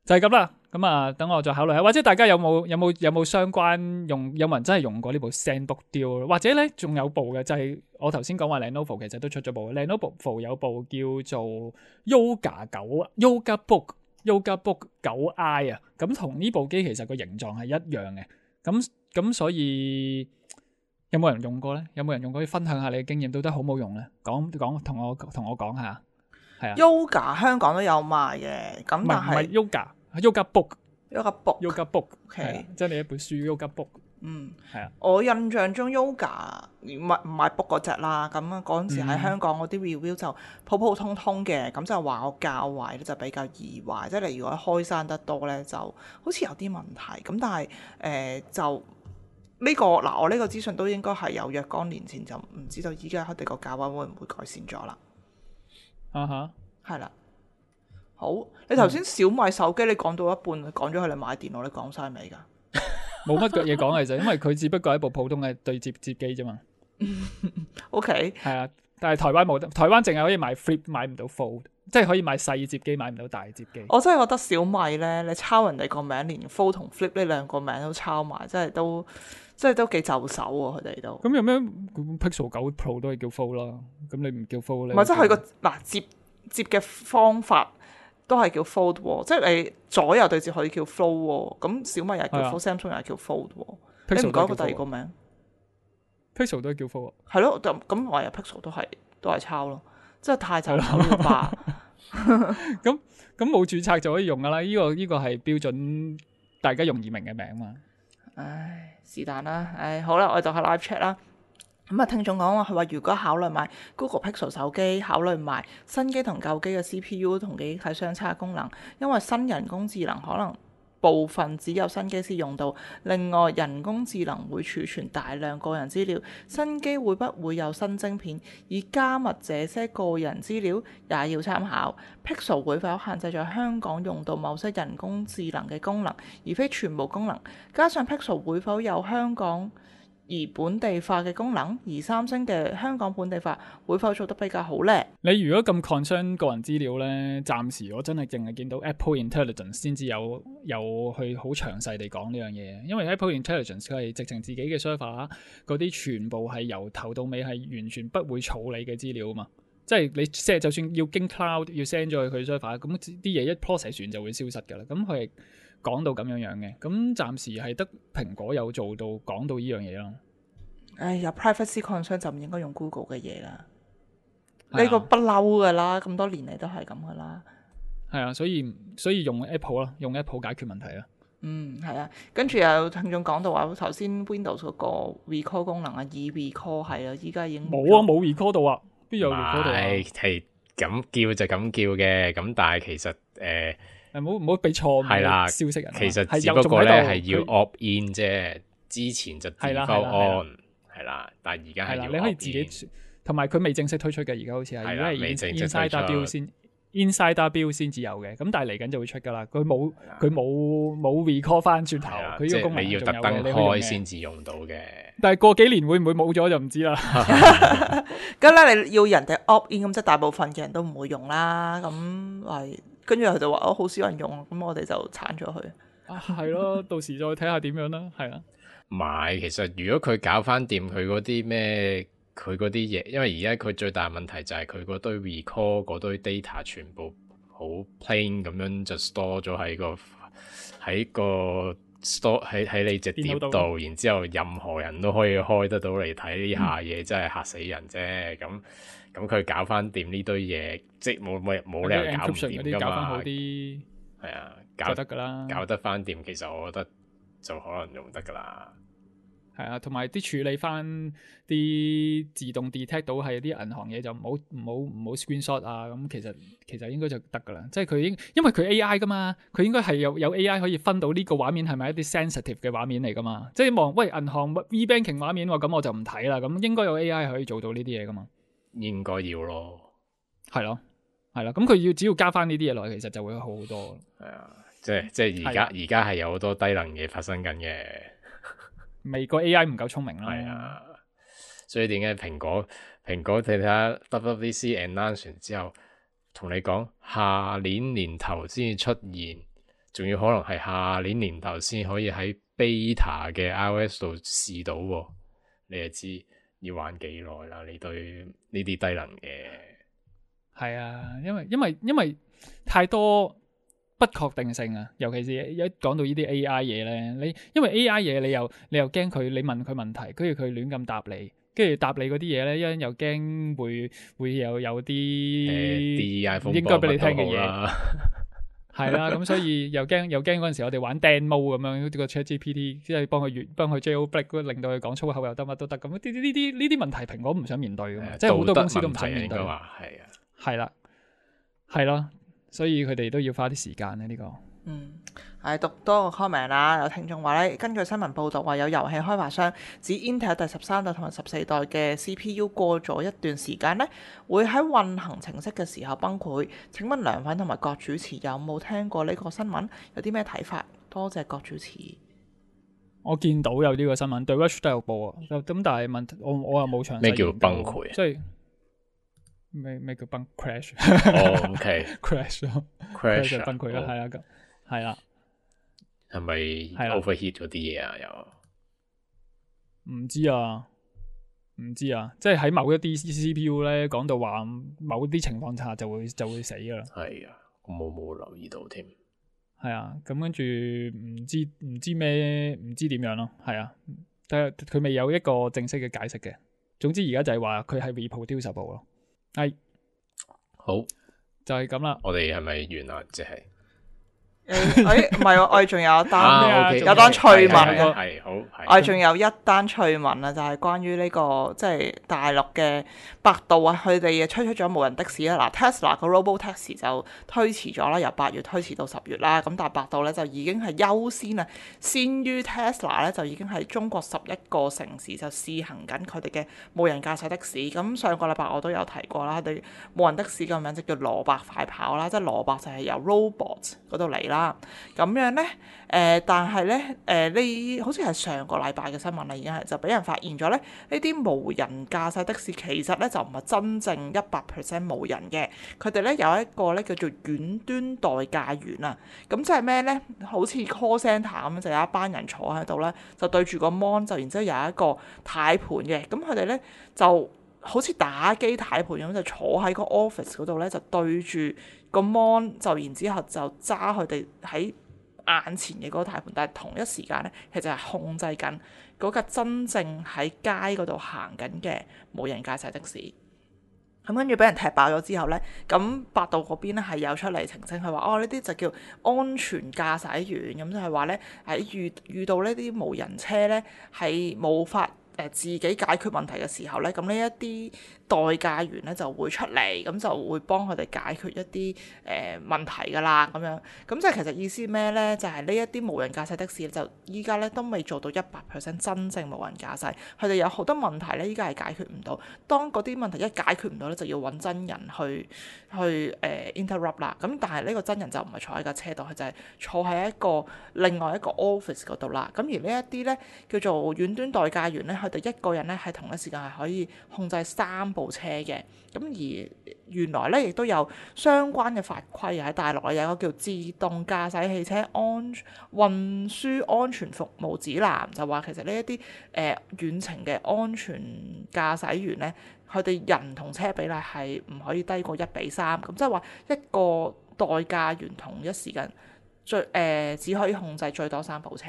就係咁啦，咁啊，等我再考慮下，或者大家有冇有冇有冇相關用，有冇人真係用過呢部 ZenBook Duo？或者咧仲有部嘅就係、是、我頭先講話 Lenovo 其實都出咗部 Lenovo 有部叫做 Yoga 九 Yoga Book Yoga Book 九 I 啊，咁同呢部機其實個形狀係一樣嘅，咁咁所以有冇人用過咧？有冇人用過？可以分享下你嘅經驗，到底好冇用咧？講講同我同我講下，係啊 Yoga 香港都有賣嘅，咁但係唔係 Yoga。Yoga Book Yoga Book Yoga Book， OK，即係你一本書 Yoga Book，嗯，係啊，我印象中 Yoga 唔係唔係 book 嗰隻啦，咁啊嗰陣時喺香港嗰啲 review 就普普通通嘅，咁就話我較壞咧就比較易壞，即係你如果開山得多咧就好似有啲問題，咁但係誒、呃、就呢、這個嗱我呢個資訊都應該係有若干年前，就唔知道依家佢哋個價位會唔會改善咗啦？啊哈，係啦。好，你頭先小米手機你講到一半，講咗佢你買電腦，你講晒未㗎？冇乜嘢講嘅就因為佢只不過係一部普通嘅對接接機啫嘛。O K，係啊，但係台灣冇得，台灣淨係可以買 Flip，買唔到 Fold，即係可以買細接機，買唔到大接機。我真係覺得小米咧，你抄人哋個名，連 Fold 同 Flip 呢兩個名都抄埋，真係都真係都幾就手喎，佢哋都。咁有咩 Pixel 九 Pro 都係叫 Fold 啦，咁你唔叫 Fold 咧？唔係，即係佢個嗱接接嘅方法。都係叫 fold 喎，即係你左右對接可以叫 flow 喎，咁小米又係叫 fold，Samsung 又係叫 fold 喎，你唔改個第二個名 ？Pixel 都係叫 fold，係咯，咁咁我又 Pixel 都係都係抄咯，真係太就手了吧。咁咁冇註冊就可以用噶啦，呢個呢個係標準，大家容易明嘅名嘛。唉，是但啦，唉，好啦，我哋就係 live chat 啦。咁啊，聽眾講話佢話，如果考慮買 Google Pixel 手機，考慮買新機同舊機嘅 C P U 同記憶體相差功能，因為新人工智能可能部分只有新機先用到。另外，人工智能會儲存大量個人資料，新機會不會有新晶片以加密這些個人資料，也要參考。Pixel 會否限制在香港用到某些人工智能嘅功能，而非全部功能？加上 Pixel 會否有香港而本地化嘅功能，而三星嘅香港本地化會否做得比較好呢？你如果咁 concern 個人資料呢，暫時我真係淨係見到 Apple Intelligence 先至有有去好詳細地講呢樣嘢，因為 Apple Intelligence 佢係直情自己嘅 server 嗰啲全部係由頭到尾係完全不會儲你嘅資料啊嘛，即係你 set 就算要經 cloud 要 send 咗去佢 server，咁啲嘢一 process 完就會消失㗎啦，咁佢係講到咁樣樣嘅，咁暫時係得蘋果有做到講到呢樣嘢咯。唉，有 privacy concern 就唔應該用 Google 嘅嘢啦。呢、啊、個不嬲噶啦，咁多年嚟都係咁噶啦。係啊，所以所以用 Apple 啦，用 Apple 解決問題啦。嗯，係啊，跟住有聽眾講到話，頭先 Windows 嗰個 recall 功能啊，以 recall 係啊，依家已經冇啊，冇 record 到啊，邊有 record 到啊？係係咁叫就咁叫嘅，咁但係其實誒。呃誒，唔好唔好俾錯係啦誤消息人啊。其實係只不過咧有仲喺度係要佢 opt in 啫，之前就 default 係啦係啦係啦 on 係啦，但係而家係啦，係要你可以 opt 自 in 己，同埋佢未正式推出嘅，而家好似係，係啦而家係未正式 Insider 推出 Build 先 Insider Build 先至有嘅，咁但係嚟緊就會出噶啦。佢冇啦佢冇冇 recall 翻轉頭，係啦，佢呢個功能即係你要特登仲有嘅你可以用嘅開先至用到嘅。但係過幾年會唔會冇咗就唔知啦。咁咧你要人哋 opt in，咁即係大部分嘅人都唔會用啦。咁係跟住佢就話哦，好少人用，咁我哋就鏟咗佢。啊，係咯，到時再睇下點樣啦，係啦。唔係，其實如果佢搞翻掂佢嗰啲咩，佢嗰啲嘢，因為而家佢最大問題就係佢嗰堆 recall 嗰堆 data 全部好 plain 咁樣就 store 咗喺個喺個 store 喺喺你隻碟電腦度，然之後任何人都可以開得到嚟睇呢下嗯嘢，真係嚇死人啫。咁咁佢搞翻掂呢堆嘢，即係冇冇冇理由搞唔 encryption 嗰掂噶啲搞翻好嘛。啲係啊，搞就得噶啦。搞得翻掂，其實我覺得就可能用得噶啦。係啊，同埋啲處理翻啲自動 detect 到係啲銀行嘢就唔好唔好唔好 screenshot 啊，咁其實其實應該就得噶啦，即係佢應因為佢 A I 噶嘛，佢應該係有有 A I 可以分到呢個畫面係咪一啲 sensitive 嘅畫面嚟噶嘛，即係望喂銀行 e-banking 畫面喎，咁我就唔睇啦，咁應該有 A I 可以做到呢啲嘢噶嘛，應該要咯，係咯係咯，咁佢要只要加翻呢啲嘢落去，其實就會好好多。係啊，即係即係而家而家係有好多低能嘢發生緊嘅。未個 A I 唔夠聰明啦，係啊，所以點解蘋果蘋果睇睇下 W W D C announce 完之後，同你講下年年頭先至出現，仲要可能係下年年頭先可以喺 beta 嘅 iOS 度試到喎，你就知要玩幾耐啦？你對呢啲低能嘅係啊，因為因為因為太多不確定性啊，尤其是一講到呢啲 A I 嘢咧，你因為 A I 嘢你又你又驚佢，你問佢問題，跟住佢亂咁答你，跟住答你嗰啲嘢咧，一陣又驚會會有有啲啲 iPhone 應該俾你聽嘅嘢，啦，係啦，咁所以又驚又驚嗰陣時我哋玩 demo 咁樣，好似個 ChatGPT 即係幫佢越幫佢 jailbreak 令到佢講粗口又得乜都得，咁呢啲呢啲呢啲問題蘋果唔想面對噶嘛，即係好多公司都唔想面對，應該話係啊，係啦，係咯。所以佢哋都要花啲時間咧，呢、這個。嗯，係讀多個 comment 啦。有聽眾話咧，根據新聞報道話，有遊戲開發商指 Intel 第十三代同埋十四代嘅 C P U 過咗一段時間咧，會喺運行程式嘅時候崩潰。請問梁粉同埋郭主持有冇聽過呢個新聞？有啲咩睇法？多謝郭主持。我見到有呢個新聞，對 Watch 都有報啊。咁但係問我我又冇詳細咩叫崩潰？即係咩咩叫崩 crash？哦，OK，crash 咯 crash 就崩潰啦，係啦，咁係啦，係咪 overheat 嗰啲嘢啊？又唔知啊，唔知啊，即係喺某一啲 C P U 咧，講到話某啲情況下就會就會死噶啦。係啊，我冇冇留意到添。係啊，咁跟住唔知唔知咩唔知點樣咯，係啊，但係佢未有一個正式嘅解釋嘅。總之而家就係話佢係 reproducible 咯。係好，就係咁啦。我哋係咪完啦？即係誒，誒唔係喎，我哋仲有一單，啊，OK，有單趣聞係嘅。係好，我哋仲有一單趣聞啊，就係關於呢個即係大陸嘅百度啊，佢哋推出咗無人的士啦。嗱 Tesla 個 Robo Taxi 就推遲咗啦，由八月推遲到十月啦。咁但係百度咧就已經係優先啊，先於 Tesla 咧就已經係中國十一個城市就試行緊佢哋嘅無人駕駛的士。咁上個禮拜我都有提過啦，佢哋無人的士嘅名就叫蘿蔔快跑啦，即係蘿蔔就係由 robot 嗰度嚟啦。咁樣咧，誒、呃，但係咧，誒、呃，呢好似係上個禮拜嘅新聞啦，已經係就俾人發現咗咧，呢啲無人駕駛的士其實咧就唔係真正一百 percent 無人嘅，佢哋咧有一個咧叫做遠端代駕員啊，咁即係咩咧？好似 call centre 咁，就有一班人坐喺度咧，就對住個 mon，就然之後有一個軚盤嘅，咁佢哋咧就好似打機軚盤咁，就坐喺個 office 嗰度咧，就對住個 mon，就然之後就揸佢哋喺眼前嘅嗰個軚盤，但係同一時間咧，其實係控制緊嗰架真正喺街嗰度行緊嘅無人駕駛的士。咁跟住俾人踢爆咗之後呢，咁百度嗰邊咧係有出嚟澄清，佢話哦呢啲就叫安全駕駛員，咁就係話呢，喺遇遇到呢啲無人車呢，係冇法誒自己解決問題嘅時候呢，咁呢一啲代駕員呢就會出嚟，咁就會幫佢哋解決一啲誒、呃、問題㗎啦，咁樣。咁即係其實意思咩呢？就係呢一啲無人駕駛的士就依家呢都未做到一百 percent 真正無人駕駛，佢哋有好多問題呢，依家係解決唔到。當嗰啲問題一解決唔到呢，就要揾真人去去誒、呃、interrupt 啦。咁但係呢個真人就唔係坐喺架車度，佢就係坐喺一個另外一個 office 嗰度啦。咁而呢一啲呢，叫做遠端代駕員呢，佢哋一個人呢係同一時間係可以控制三部車嘅。咁而原來呢，亦都有相關嘅法規喺大陸有一個叫自動駕駛汽車安運輸安全服務指南，就話其實呢一啲誒遠程嘅安全駕駛員呢，佢哋人同車比例係唔可以低過一比三，咁即係話一個代駕員同一時間最誒、呃、只可以控制最多三部車，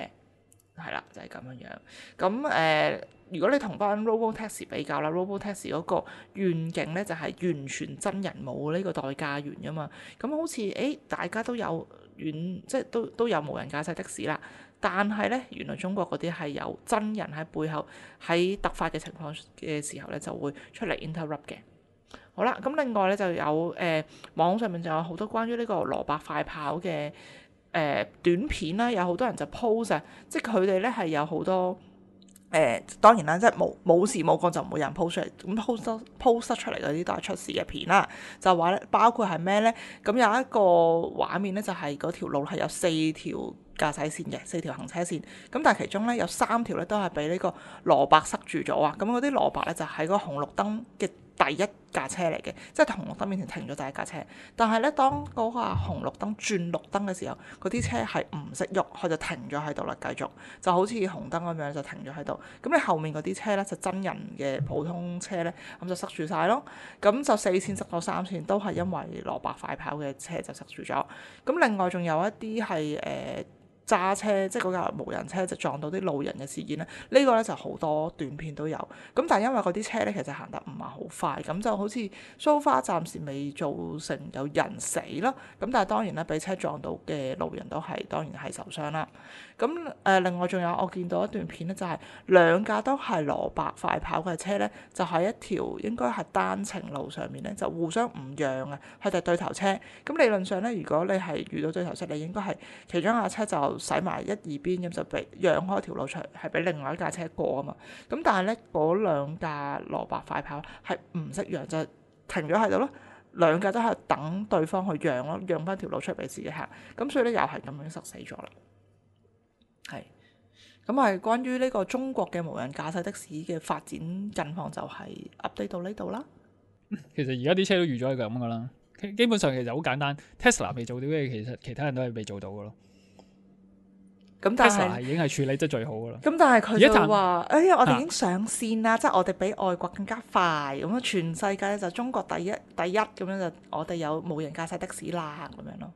係啦，就係、是、咁樣樣。咁誒、呃，如果你同翻 Robotaxi 比較啦 ，Robotaxi 嗰個願景咧就係、是、完全真人冇呢個代駕員噶嘛。咁好似誒大家都有遠即係都都有無人駕駛的士啦，但係咧原來中國嗰啲係有真人喺背後喺突發嘅情況嘅時候咧就會出嚟 interrupt 嘅。好啦，咁另外咧就有誒、呃、網上面就有好多關於呢個蘿蔔快跑嘅誒、呃、短片啦，有好多人就 post 啊，即係佢哋咧係有好多誒、呃、當然啦，即係冇冇事冇幹就唔會有人 post 出嚟，咁 post post 出嚟嗰啲都係出事嘅片啦。就話咧，包括係咩咧？咁有一個畫面咧，就係嗰條路係有四條駕駛線嘅，四條行車線。咁但係其中咧有三條咧都係俾呢個蘿蔔塞住咗啊！咁嗰啲蘿蔔咧就喺嗰個紅綠燈嘅第一架車嚟嘅，即係紅綠燈面前停咗第一架車。但係咧，當嗰個紅綠燈轉綠燈嘅時候，嗰啲車係唔識喐，佢就停咗喺度啦，繼續就好似紅燈咁樣就停咗喺度。咁你後面嗰啲車咧就真人嘅普通車咧，咁就塞住晒咯。咁就四線塞咗三線，都係因為蘿蔔快跑嘅車就塞住咗。咁另外仲有一啲係誒。呃揸車即係嗰架無人車就撞到啲路人嘅事件咧，呢、呢個咧就好多短片都有。咁但係因為嗰啲車咧其實行得唔係好快，咁就好似 so far 暫時未造成有人死咯。咁但係當然咧，俾車撞到嘅路人都係當然係受傷啦。咁誒、呃、另外仲有我見到一段片咧，就係、是、兩架都係蘿蔔快跑嘅車咧，就喺一條應該係單程路上面咧，就互相唔讓啊，佢哋對頭車。咁理論上咧，如果你係遇到對頭車，你應該係其中一架車就駛埋一二邊，咁就俾讓開條路出嚟，係俾另外一架車過啊嘛。咁但係咧，嗰兩架蘿蔔快跑係唔識讓，就停咗喺度咯。兩架都係等對方去讓咯，讓翻條路出嚟俾自己行。咁所以咧又係咁樣塞死咗啦。係咁係關於呢個中國嘅無人駕駛的士嘅發展近況，就係 update 到呢度啦。其實而家啲車都預咗係咁噶啦，基本上其實好簡單。Tesla 未做到嘅，其實其他人都係未做到噶咯。咁但係 Tesla 已經係處理得最好噶啦。咁但係佢就話：哎呀，我哋已經啊上線啦，即係我哋比外國更加快。咁樣全世界咧就中國第一第一咁樣就我哋有無人駕駛的士啦咁樣咯。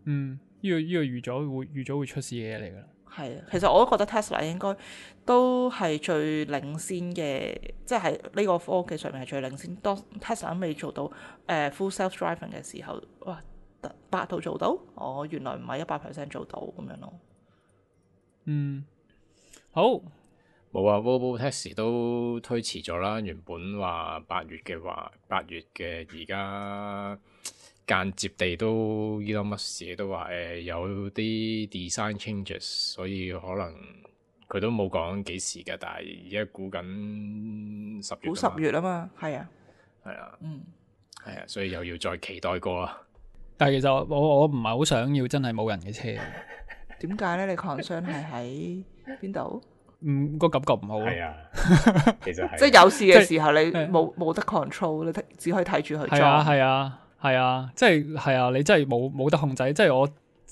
嗯，呢、這個呢、這個預咗會預咗會出事嘅嘢嚟噶啦。係啊，其實我都覺得 Tesla 應該都係最領先嘅，即係喺呢個科技上面係最領先。當 Tesla 未做到誒、呃、full self driving 嘅時候，哇！百度做到，哦，原來唔係一百 percent 做到咁樣咯。嗯，好冇啊 Robotaxi 都推遲咗啦。原本話八月嘅話，八月嘅而家間接地都 Elon Musk 都話誒、呃、有啲 design changes，所以可能佢都冇講幾時嘅，但係而家估緊十月。估十月啊嘛，係啊，係啊，嗯，係啊，所以又要再期待過啦。但係其實我我唔係好想要真係冇人嘅車。點解咧？你 concern 係喺邊度？嗯，個感覺唔好咯。係啊，其實係即係有事嘅時候，你係冇冇得 control，你只可以睇住佢係啊裝。係啊係啊，即係係啊，你真係冇冇得控制。即係我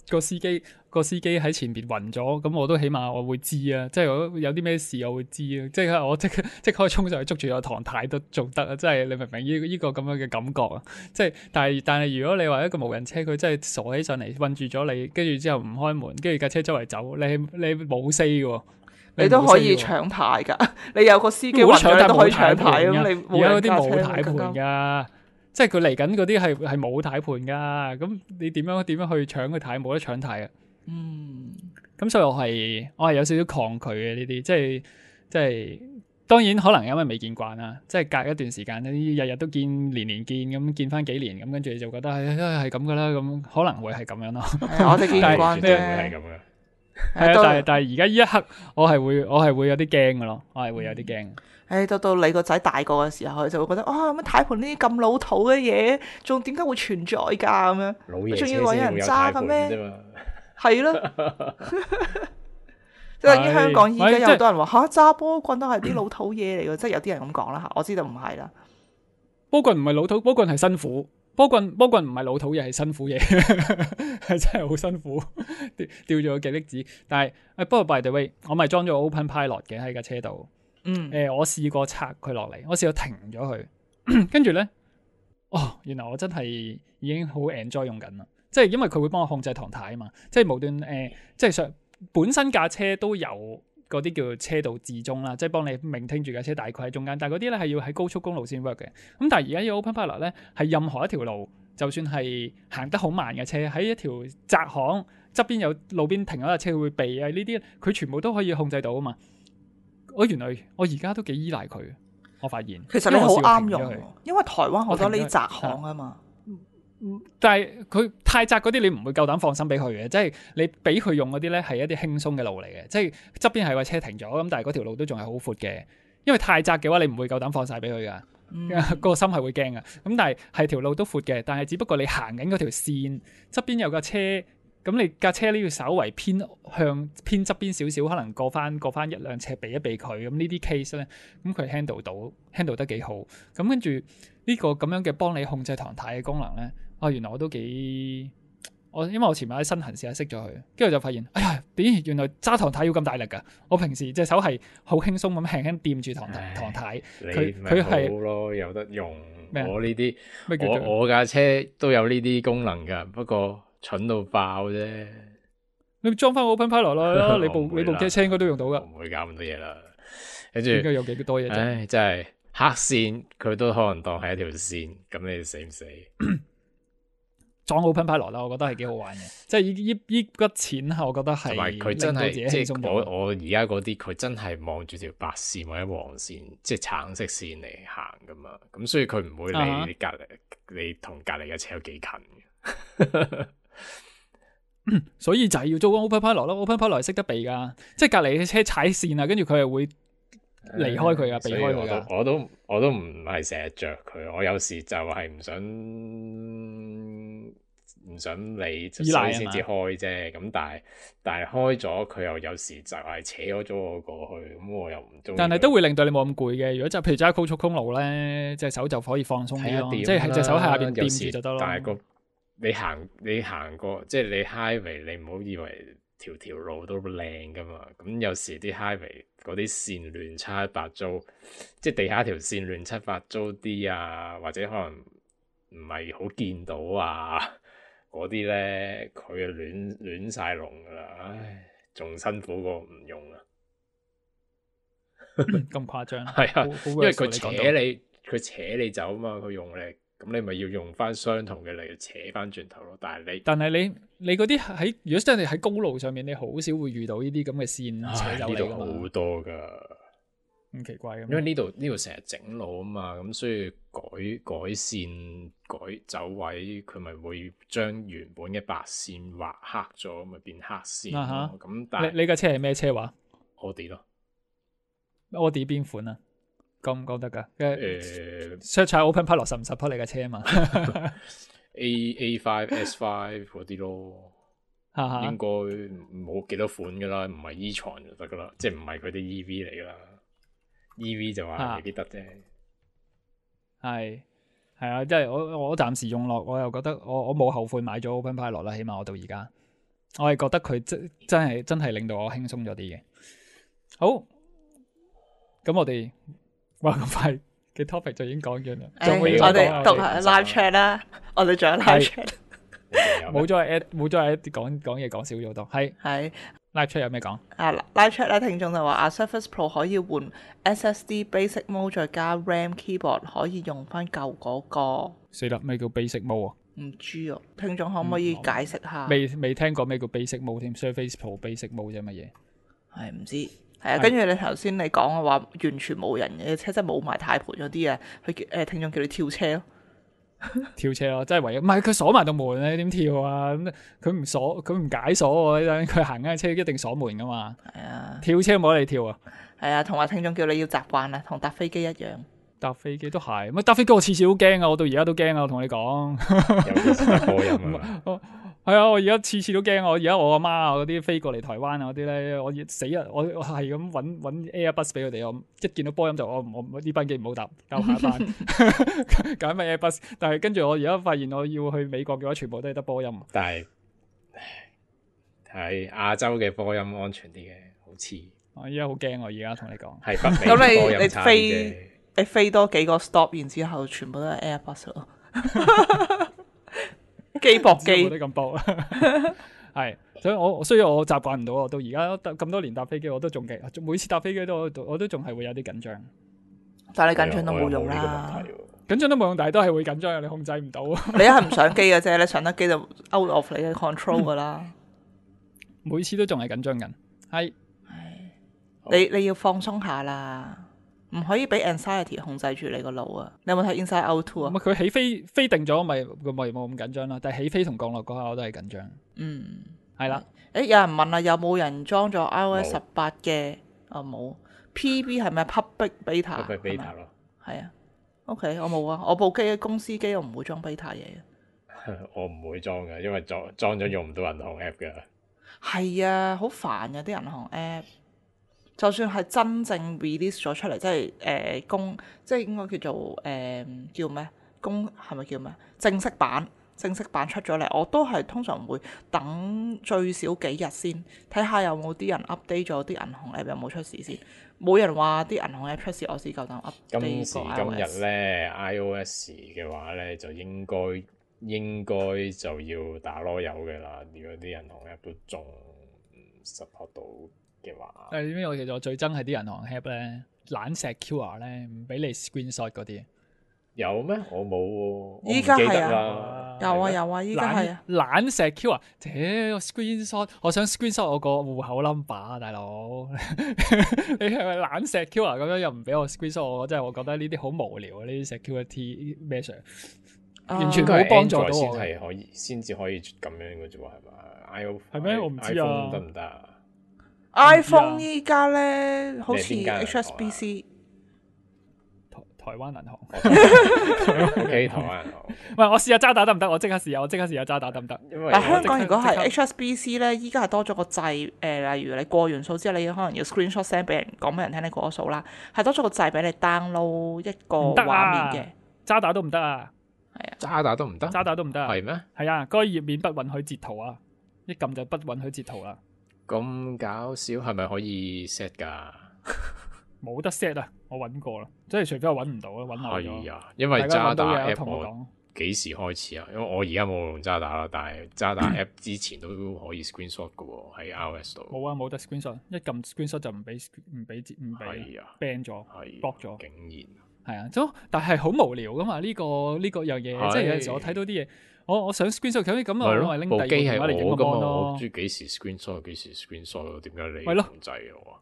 個司機個司機喺前邊暈咗，咁我都起碼我會知啊。即係如果有啲咩事我會知啊。即係我即刻即刻衝上去捉住個唐太都仲得啊！即係你明唔明呢呢個咁樣嘅感覺啊？即係但係但係如果你話一個無人車佢真係傻起上嚟困住咗你，跟住之後唔開門，跟住架車周圍走，你你冇 say 嘅喎。你都可以搶，搶牌㗎。你有個司機冇得搶，暈咗，你都可以但係冇搶牌咁。軚你冇而家嗰啲人駕車冇軚盤咁更加㗎，即係佢嚟緊嗰啲係係冇軚盤㗎。咁你點樣點樣去搶佢軚？冇得搶軚啊！嗯，咁所以我係我係有少少抗拒嘅呢啲，即係即係當然可能因為未見慣啦，即係隔一段時間呢日日都見，年年見咁見翻幾年咁，跟住你就覺得係係咁噶啦，咁可能會係咁樣咯。係啊我哋見但係慣絕對會係啫。咁嘅。係啊，到但係但係而家呢一刻我係會我係會有啲驚嘅咯，我係會有啲驚。誒到到你個仔大個嘅時候，佢就會覺得啊乜軚盤呢啲咁老土嘅嘢，仲點解會存在㗎咁樣？老爺車仲要揾人先會有軚盤揸嘅咩啫嘛。係咯，即係等於香港依家有好多人話嚇揸波棍都係啲老土嘢嚟㗎，即係有啲人咁講啦嚇，我知道唔係啦。波棍唔係老土，波棍係辛苦。波棍波棍唔係老土嘢，係辛苦嘢，係真係好辛苦，掉掉咗個極力子。但係誒，不過 by the way，我咪裝咗 Open Pilot 嘅喺架車度。嗯，誒、呃，我試過拆佢落嚟，我試過停咗佢，跟住咧，哦，原來我真係已經好 enjoy 用緊啦。即係因為佢會幫我控制唐太啊嘛，即係無端誒、呃，即係上本身架車都有嗰啲叫車道自中啦，即係幫你明聽住架車大概喺中間，但係嗰啲咧係要喺高速公路先 work 嘅。咁但係而家呢個 Open Pilot 咧係任何一條路，就算係行得好慢嘅車，喺一條窄巷側邊有路邊停咗架車，佢會避啊呢啲，佢全部都可以控制到啊嘛。我原來我而家都幾依賴佢，我發現。其實你好啱用因為我試過停咗佢，因為台灣好多呢啲窄巷啊嘛。但係佢太窄嗰啲，你唔會夠膽放心俾佢嘅，即係你俾佢用嗰啲咧係一啲輕鬆嘅路嚟嘅，即係側邊係個車停咗，咁但係嗰條路都仲係好闊嘅，因為太窄嘅話，你唔會夠膽放晒俾佢噶，嗯、個心係會驚噶。咁但係係條路都闊嘅，但係只不過你行緊嗰條線側邊有架車，咁你架車呢要稍為偏向偏側邊少少，可能過翻過翻一兩尺避一避佢，咁呢啲 case 咧，咁佢 handle 到 handle 得幾好，咁跟住呢個咁樣嘅幫你控制唐太嘅功能咧。啊，原來我都幾我，因為我前排喺身痕試下熄咗佢，跟住就發現，哎呀，點原來揸唐太要咁大力㗎？我平時隻手係好輕鬆咁輕輕掂住唐太唐太，佢佢係好咯，有得用。咩我呢啲咩叫做我我架車都有呢啲功能㗎，不過蠢到爆啫。你裝翻 Open Pilot 咯，你部我唔會啦你部機車應該都用到㗎，我唔會搞咁多嘢啦。跟住應該有幾多嘢啫。唉，真係黑線，佢都可能當係一條線，咁你死唔死？裝 Open Pilot 啦，我覺得係幾好玩嘅，即係依依依筆錢，我覺得係同埋佢真令到自己係即輕鬆咗。係我我而家嗰啲，佢真係望住條白線或者黃線，即係橙色線嚟行噶嘛。咁所以佢唔會理啊哈你隔離，你同隔離嘅車有幾近嘅。所以就係要做 Open Pilot 咯，Open Pilot 係識得避噶，即係隔離嘅車踩線啊，跟住佢係會離開佢啊，避所以我開佢噶。都我都我都唔係成日着佢，我有時就係唔想唔想理，所依賴以先至開啫。咁但係但係開咗，佢又有時就係扯咗咗我過去，咁我又唔中意。但係都會令到你冇咁攰嘅。如果就譬如揸高速公路咧，隻手就可以放鬆啲咯，即係喺隻手喺下邊有時掂住就得咯。但係個你行你行過，即係你 highway，你唔好以為條條路都靚噶嘛。咁有時啲 highway 嗰啲線亂七八糟，即係地下條線亂七八糟啲啊，或者可能唔係好見到啊，嗰啲咧佢啊亂亂曬龍噶啦，唉，仲辛苦過唔用啊。咁誇張，係啊，好好因為佢 versatile 扯你講到你，佢扯你走啊嘛，佢用力，咁你咪要用翻相同嘅力扯翻轉頭咯。但係你，但係你你嗰啲喺如果真係喺高路上面，你好少會遇到呢啲咁嘅線扯唉呢度走你噶嘛，好多噶，咁奇怪咁。因為呢度呢度成日整路啊嘛，咁所以改改線改走位，佢咪會將原本嘅白線畫黑咗，咪變黑線啊哈咯。咁但係你你架車係咩車話我哋咯， ？Audi 邊款啊？講唔講得㗎？誒 search 下 Open Pilot 實唔 support 你架車啊嘛？ A A five S five 嗰啲咯。哈哈應該冇幾多款噶啦，唔係 E 床就得噶啦，即係唔係佢啲 E V 嚟噶啦。E V 就話未必得啫。係係啊，即係我我暫時用落，我又覺得我我冇後悔買咗 Open Pilot 啦，起碼我到而家，我係覺得佢真真係真係令到我輕鬆咗啲嘅。好，咁我哋哇咁快嘅 topic 就已經講完啦，誒仲有冇嘢我講啊哋讀下 live chat 啦，我哋仲有 live chat。冇咗 at 冇咗 at 講講嘢講少咗好多，係係 Live chat 有咩講？啊，Live chat 咧，聽眾就話啊 Surface Pro 可以換 S S D Basic Mode 再加 RAM Keyboard，可以用翻舊嗰個。死啦！咩叫 basic mode 啊？唔知啊，聽眾可唔可以解釋下？未未聽過咩叫 basic mode 添 ？Surface Pro basic mode 啫乜嘢？係唔知。係啊，跟住你頭先你講嘅話，完全冇人嘅車，即係冇埋軚盤嗰啲啊，佢誒、呃、聽眾叫你跳車咯。跳車咯，真係唯一唔係佢鎖埋道門咧，點跳啊？咁佢唔鎖，佢唔解鎖喎。佢行緊車一定鎖門噶嘛。係啊，跳車冇得你跳啊。係啊，同埋聽眾叫你要習慣啊，同搭飛機一樣。搭飛機都係，乜搭飛機我次次都驚啊！我到而家都驚啊！我同你講，尤其是搭波音啊，係啊！我而家次次都驚啊！我而家我阿媽啊嗰啲飛過嚟台灣啊嗰啲咧，我死啊！我我係咁揾揾 Airbus 俾佢哋，我一見到波音就我我呢班機唔好搭，交下一班，揀咪 Airbus。但係跟住我而家發現我要去美國嘅話，全部都係得波音。但係係亞洲嘅波音安全啲嘅，好似我而家好驚，我而家同你講，係北美嘅波音差啲啫。你飛多幾個 stop，然之後全部都係 Airbus 咯，機駁機冇得咁搏。係，所以我所以我習慣唔到，我到而家咁多年搭飛機，我都仲驚，每次搭飛機都我都仲係會有啲緊張。但係你緊張都冇用啦，緊張都冇用，但係都係會緊張嘅，你控制唔到。你一係唔上機嘅啫，你上得機就 out of 你嘅 control 噶啦。每次都仲係緊張緊，係你你要放鬆下啦。唔可以俾 anxiety 控制住你個腦啊！你有冇睇 Inside Out Two 啊？咁佢起飛飛定咗，咪咪冇咁緊張啦。但係起飛同降落嗰下我都係緊張。嗯，係啦。誒，有人問啊，有冇人裝咗 iOS 十八嘅？啊冇。P B 係咪 Public Beta？Public Beta 咯。係啊。OK，我冇啊。我部機公司機我唔會裝 beta 嘢嘅。我唔會裝嘅，因為裝裝咗用唔到銀行 app 㗎。係啊，好煩嘅啲銀行 app。就算係真正 release 咗出嚟，即係誒、呃、公，即係應該叫做誒、呃、叫咩？公係咪叫咩？正式版正式版出咗嚟，我都係通常會等最少幾日先，睇下有冇啲人 update 咗啲銀行 app 有冇出事先。冇人話啲銀行 app 出事，我先夠膽 update。今時今日咧 iOS 嘅話咧，就應該應該就要打籮柚嘅啦。如果啲銀行 app 都仲唔 support 到嘅話，誒點解我其實我最憎係啲銀行 app 咧懶石 Q R 咧，唔俾你 screenshot 嗰啲。有咩？我冇喎。依家係啊，有啊有啊，依家係啊。懶石 Q R，屌 screenshot，我想 screenshot 我個戶口 number 啊，大佬。你係咪懶石 Q R 咁樣又唔俾我 screenshot？我真係我覺得呢啲好無聊啊！呢啲 security measure 完全冇幫助到我。先係可以，先至可以咁樣嘅啫喎，係嘛 ？iPhone 係咩？我唔知啊。得唔得啊 ？iPhone 依家咧好似 H S B C。台灣銀行，OK， 台灣銀行。喂，我試下渣打得唔得？我即刻試下，我即刻試下渣打得唔得？但香港如果係 H S B C 咧，依家係多咗個掣，誒、呃，例如你過完數之後，你可能要 screenshot send 俾人，講俾人聽你過咗數啦，係多咗個掣俾你 download 一個畫面嘅。渣打都唔得啊！係啊，渣打都唔得，渣打都唔得啊！係咩？係啊，嗰個頁面不允許截圖啊！一撳就不允許截圖啦。咁搞笑，係咪可以 set 㗎？冇得 set 啊！我揾過啦，即係除非我揾唔到啦，揾漏咗。係啊，因為渣打 app 同我講幾時開始啊？因為我而家冇用渣打啦，但係渣打 app 之前都可以 screenshot 嘅喎，喺 iOS 度。冇啊，冇得 screenshot，一撳 screenshot 就唔俾唔俾唔俾 ban 咗 block 咗。竟然係啊，咁但係好無聊噶嘛？呢、這個呢、這個樣嘢，即係有陣時我睇到啲嘢，我我想 screenshot 咁咁啊，我咪拎第二部電話嚟影個 mon 咯。我中意幾時 screenshot 幾時 screenshot，點解你係咯控制我啊？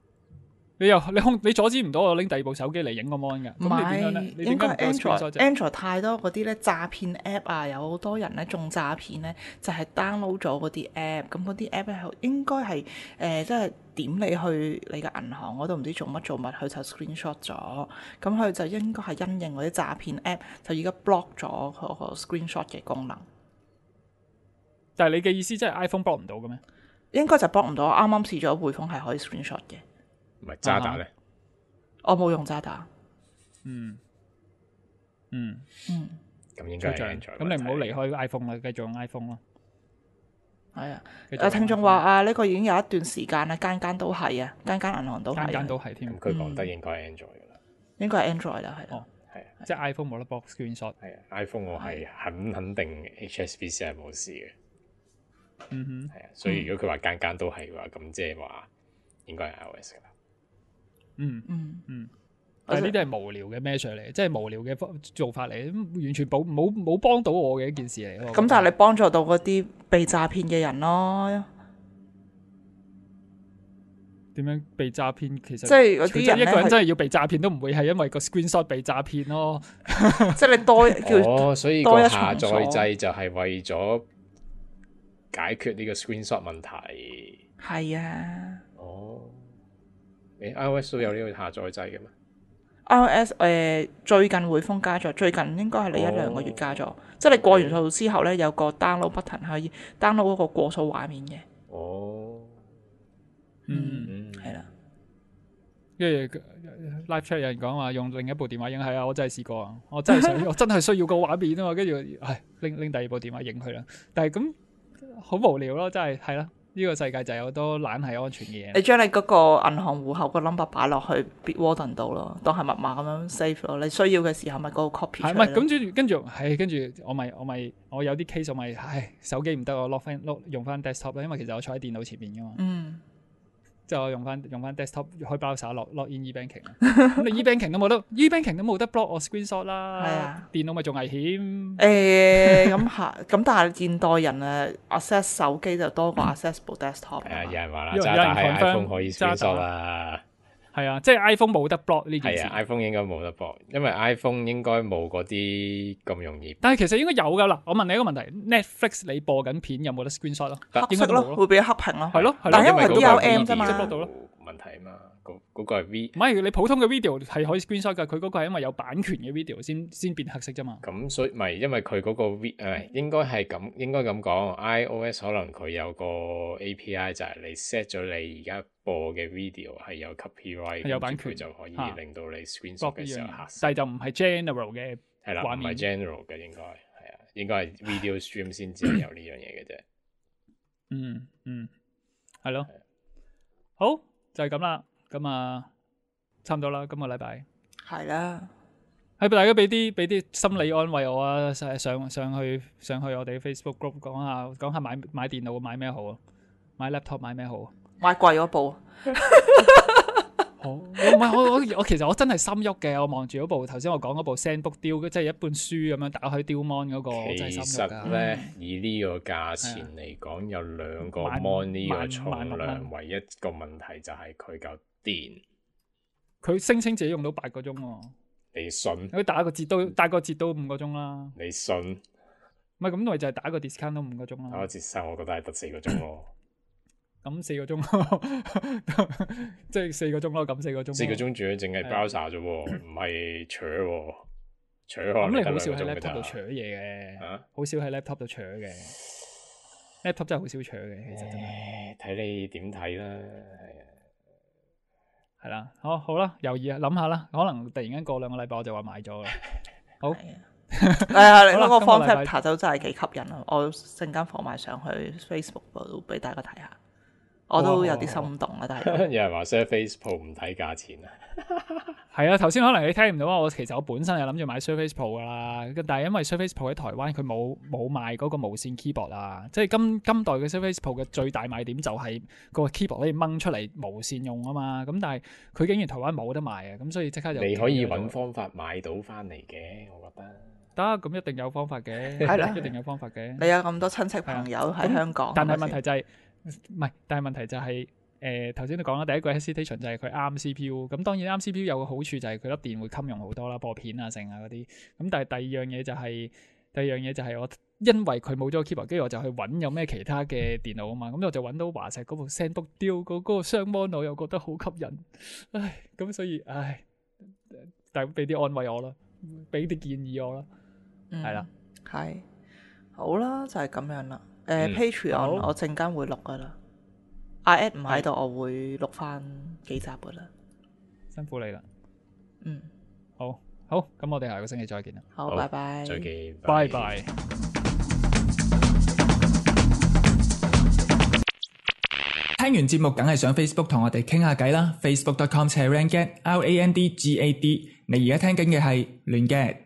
你又你控你阻止唔到我拎第二部手機嚟影個 mon 㗎？唔係，應該 Android Android 太多嗰啲咧詐騙 app 啊，有好多人咧中詐騙咧，就係 download 咗嗰啲 app，咁嗰啲 app 咧應該係誒即係點你去你嘅銀行嗰度唔知做乜做乜，佢就 screenshot 咗，咁佢就應該係因應嗰啲詐騙 app 就而家 block 咗嗰個 screenshot 嘅功能。但係你嘅意思即係 iPhone block 唔到嘅咩？應該就 block 唔到，我啱啱試咗匯豐係可以 screenshot 嘅。唔係渣打咧，我冇用渣打。嗯嗯嗯，咁應該係 Android。咁你唔好離開 iPhone 啦，繼續用 iPhone 咯。係啊，誒聽眾話啊，呢個已經有一段時間啦，間間都係啊，間間銀行都係，間間都係添。咁佢講得應該係 Android 噶啦，應該係 Android 啦，係。哦，係，即係 iPhone 冇得 block screenshot。係啊 ，iPhone 我係肯肯定 H S B C 係冇事嘅。嗯哼，係啊，所以如果佢話間間都係嘅話，咁即係話應該係 iOS 噶啦。嗯嗯嗯。但係呢啲係無聊嘅 measure 嚟，即係無聊嘅做法嚟，完全冇冇冇幫到我嘅一件事嚟。咁但係你幫助到嗰啲被詐騙嘅人咯。點樣被詐騙？其實即係嗰啲人一個人真係要被詐騙，都唔會係因為個 screenshot 被詐騙咯。即係你多叫哦，所以個多一重下載鎖掣就係為咗解決呢個 screenshot 問題。係啊。哦，你 iOS 都有呢個下載掣嘅咩？iOS 誒、呃、最近匯豐加咗，最近應該係你一兩個月加咗，哦、即係你過完數之後咧，有個 download button 可以 download 嗰個過數畫面嘅。哦，嗯，係啦。跟住 live chat 有人講話用另一部電話影，係啊，我真係試過啊，我真係想，我真係需要個畫面啊嘛，跟住唉拎拎第二部電話影佢啦，但係咁好無聊咯，真係係啦。呢個世界就有好多懶係安全嘅嘢。你將你嗰個銀行戶口個 number 擺落去 Bitwarden 度咯，當係密碼咁樣 save 咯。你需要嘅時候咪嗰個 copy 出嚟。係咪咁？跟住跟住係跟住我咪我咪我有啲 case 我咪唉手機唔得，我 lock 翻 lock 用翻 desktop 啦，因為其實我坐喺電腦前面噶嘛。嗯。即係我用翻用翻 desktop 開 browser log log in e-banking。咁你 e-banking 都冇得 e-banking 都冇得 block 我 screenshot 啦。係啊。電腦咪仲危險。誒咁係咁，但係現代人誒 access 手機就多過 access 部 desktop。係啊，有人話啦，有渣打係 iPhone 可以 screenshot 啦。係啊，即係 iPhone 冇得 block 呢件事。係啊 ，iPhone 應該冇得 block，因為 iPhone 應該冇嗰啲咁容易。但係其實應該有㗎啦。我問你一個問題 ，Netflix 你播緊片有冇得 screenshot 咯？黑色咯，會俾黑屏咯。係咯，但係因為嗰個 D R M 啫嘛，即係 block 到咯。問題啊嘛，嗰嗰個係 V。唔係你普通嘅 video 係可以 screenshot 㗎，佢嗰個係因為有版權嘅 video 先先變黑色啫嘛。咁所以咪因為佢嗰個 V 誒應該係咁應該咁講 ，iOS 可能佢有個 A P I 就係你 set 咗你而家播嘅 video 係有 copyright，有版權就可以令到你 screenshot 嘅時候黑色。但係就唔係 general 嘅係啦，唔係 general 嘅應該係啊，應該係 video stream 先至有呢樣嘢嘅啫。嗯嗯，係咯，好就係咁啦。咁啊，差唔多啦，今個禮拜係啦，係俾大家俾啲俾啲心理安慰我啊，上上上去上去我哋 Facebook group 講下講下買買電腦買咩好啊，買 laptop 買咩好啊，買貴嗰部。好，唔係我我我其實我真係心喐嘅，我望住嗰部頭先我講嗰部 ZenBook Duo，即係一本書咁樣打開 Duo Mon 嗰個，我真係心喐㗎。其實咧，以呢個價錢嚟講，有兩個 Mon 呢個重量，唯一個問題就係佢夠電。佢聲稱自己用到八個鐘喎。你信？佢打個折都打個折都五個鐘啦。你信？唔係咁，咪就係打個 discount 都五個鐘啦。打個折收，我覺得係得四個鐘咯。咁四個鐘咯，即係四個鐘咯，咁四個鐘。四個鐘仲要淨係 browser 啫喎，唔係扯喎，扯可能得兩個鐘㗎咋。咁你好少喺 laptop 度扯嘢嘅，啊？好少喺 laptop 度扯嘅 ，laptop 真係好少扯嘅，其實真係。睇你點睇啦，係啊，係啦，好好啦，猶豫啊，諗下啦，可能突然間過兩個禮拜我就話買咗啦。好，係啊，你嗰個 form factor 就真係幾吸引啊！我陣間放埋上去 Facebook 度俾大家睇下。我都有啲心動啦，但係有人話 Surface Pro 唔睇價錢啊，係啊，頭先可能你聽唔到啊，我其實我本身係諗住買 Surface Pro 噶啦，但係因為 Surface Pro 喺台灣佢冇冇賣嗰個無線 keyboard 啊，即係今今代嘅 Surface Pro 嘅最大賣點就係個 keyboard 可以掹出嚟無線用啊嘛，咁但係佢竟然台灣冇得賣啊，咁所以即刻就你可以揾方法買到翻嚟嘅，我覺得得，咁一定有方法嘅，係啦，一定有方法嘅。你有咁多親戚朋友喺香港，但係問題就係、是。唔係，但係問題就係、是，誒頭先都講啦，第一個 hesitation 就係佢啱 C P U，咁當然啱 C P U 有個好處就係佢粒電會襟用好多啦，播片啊、剩啊嗰啲。咁但係第二樣嘢就係、是，第二樣嘢就係我因為佢冇咗個 keyboard，跟住我就去揾有咩其他嘅電腦啊嘛，咁我就揾到華碩嗰部 ZenBook Duo 嗰嗰個雙 mon，我又覺得好吸引，唉，咁所以唉，大家俾啲安慰我啦，俾啲建議我啦，係啦、嗯，係好啦，就係、是、咁樣啦。誒、呃嗯、Patreon 我陣間會錄噶啦，阿 Ed 唔喺度，我會錄翻幾集噶啦。辛苦你啦。嗯，好，好，咁我哋下個星期再見啦。好，拜拜。再見，拜拜。聽完節目，梗係上 Facebook 同我哋傾下偈啦。Facebook dot com slash randgad，R A N D G A D。你而家聽緊嘅係亂 gad。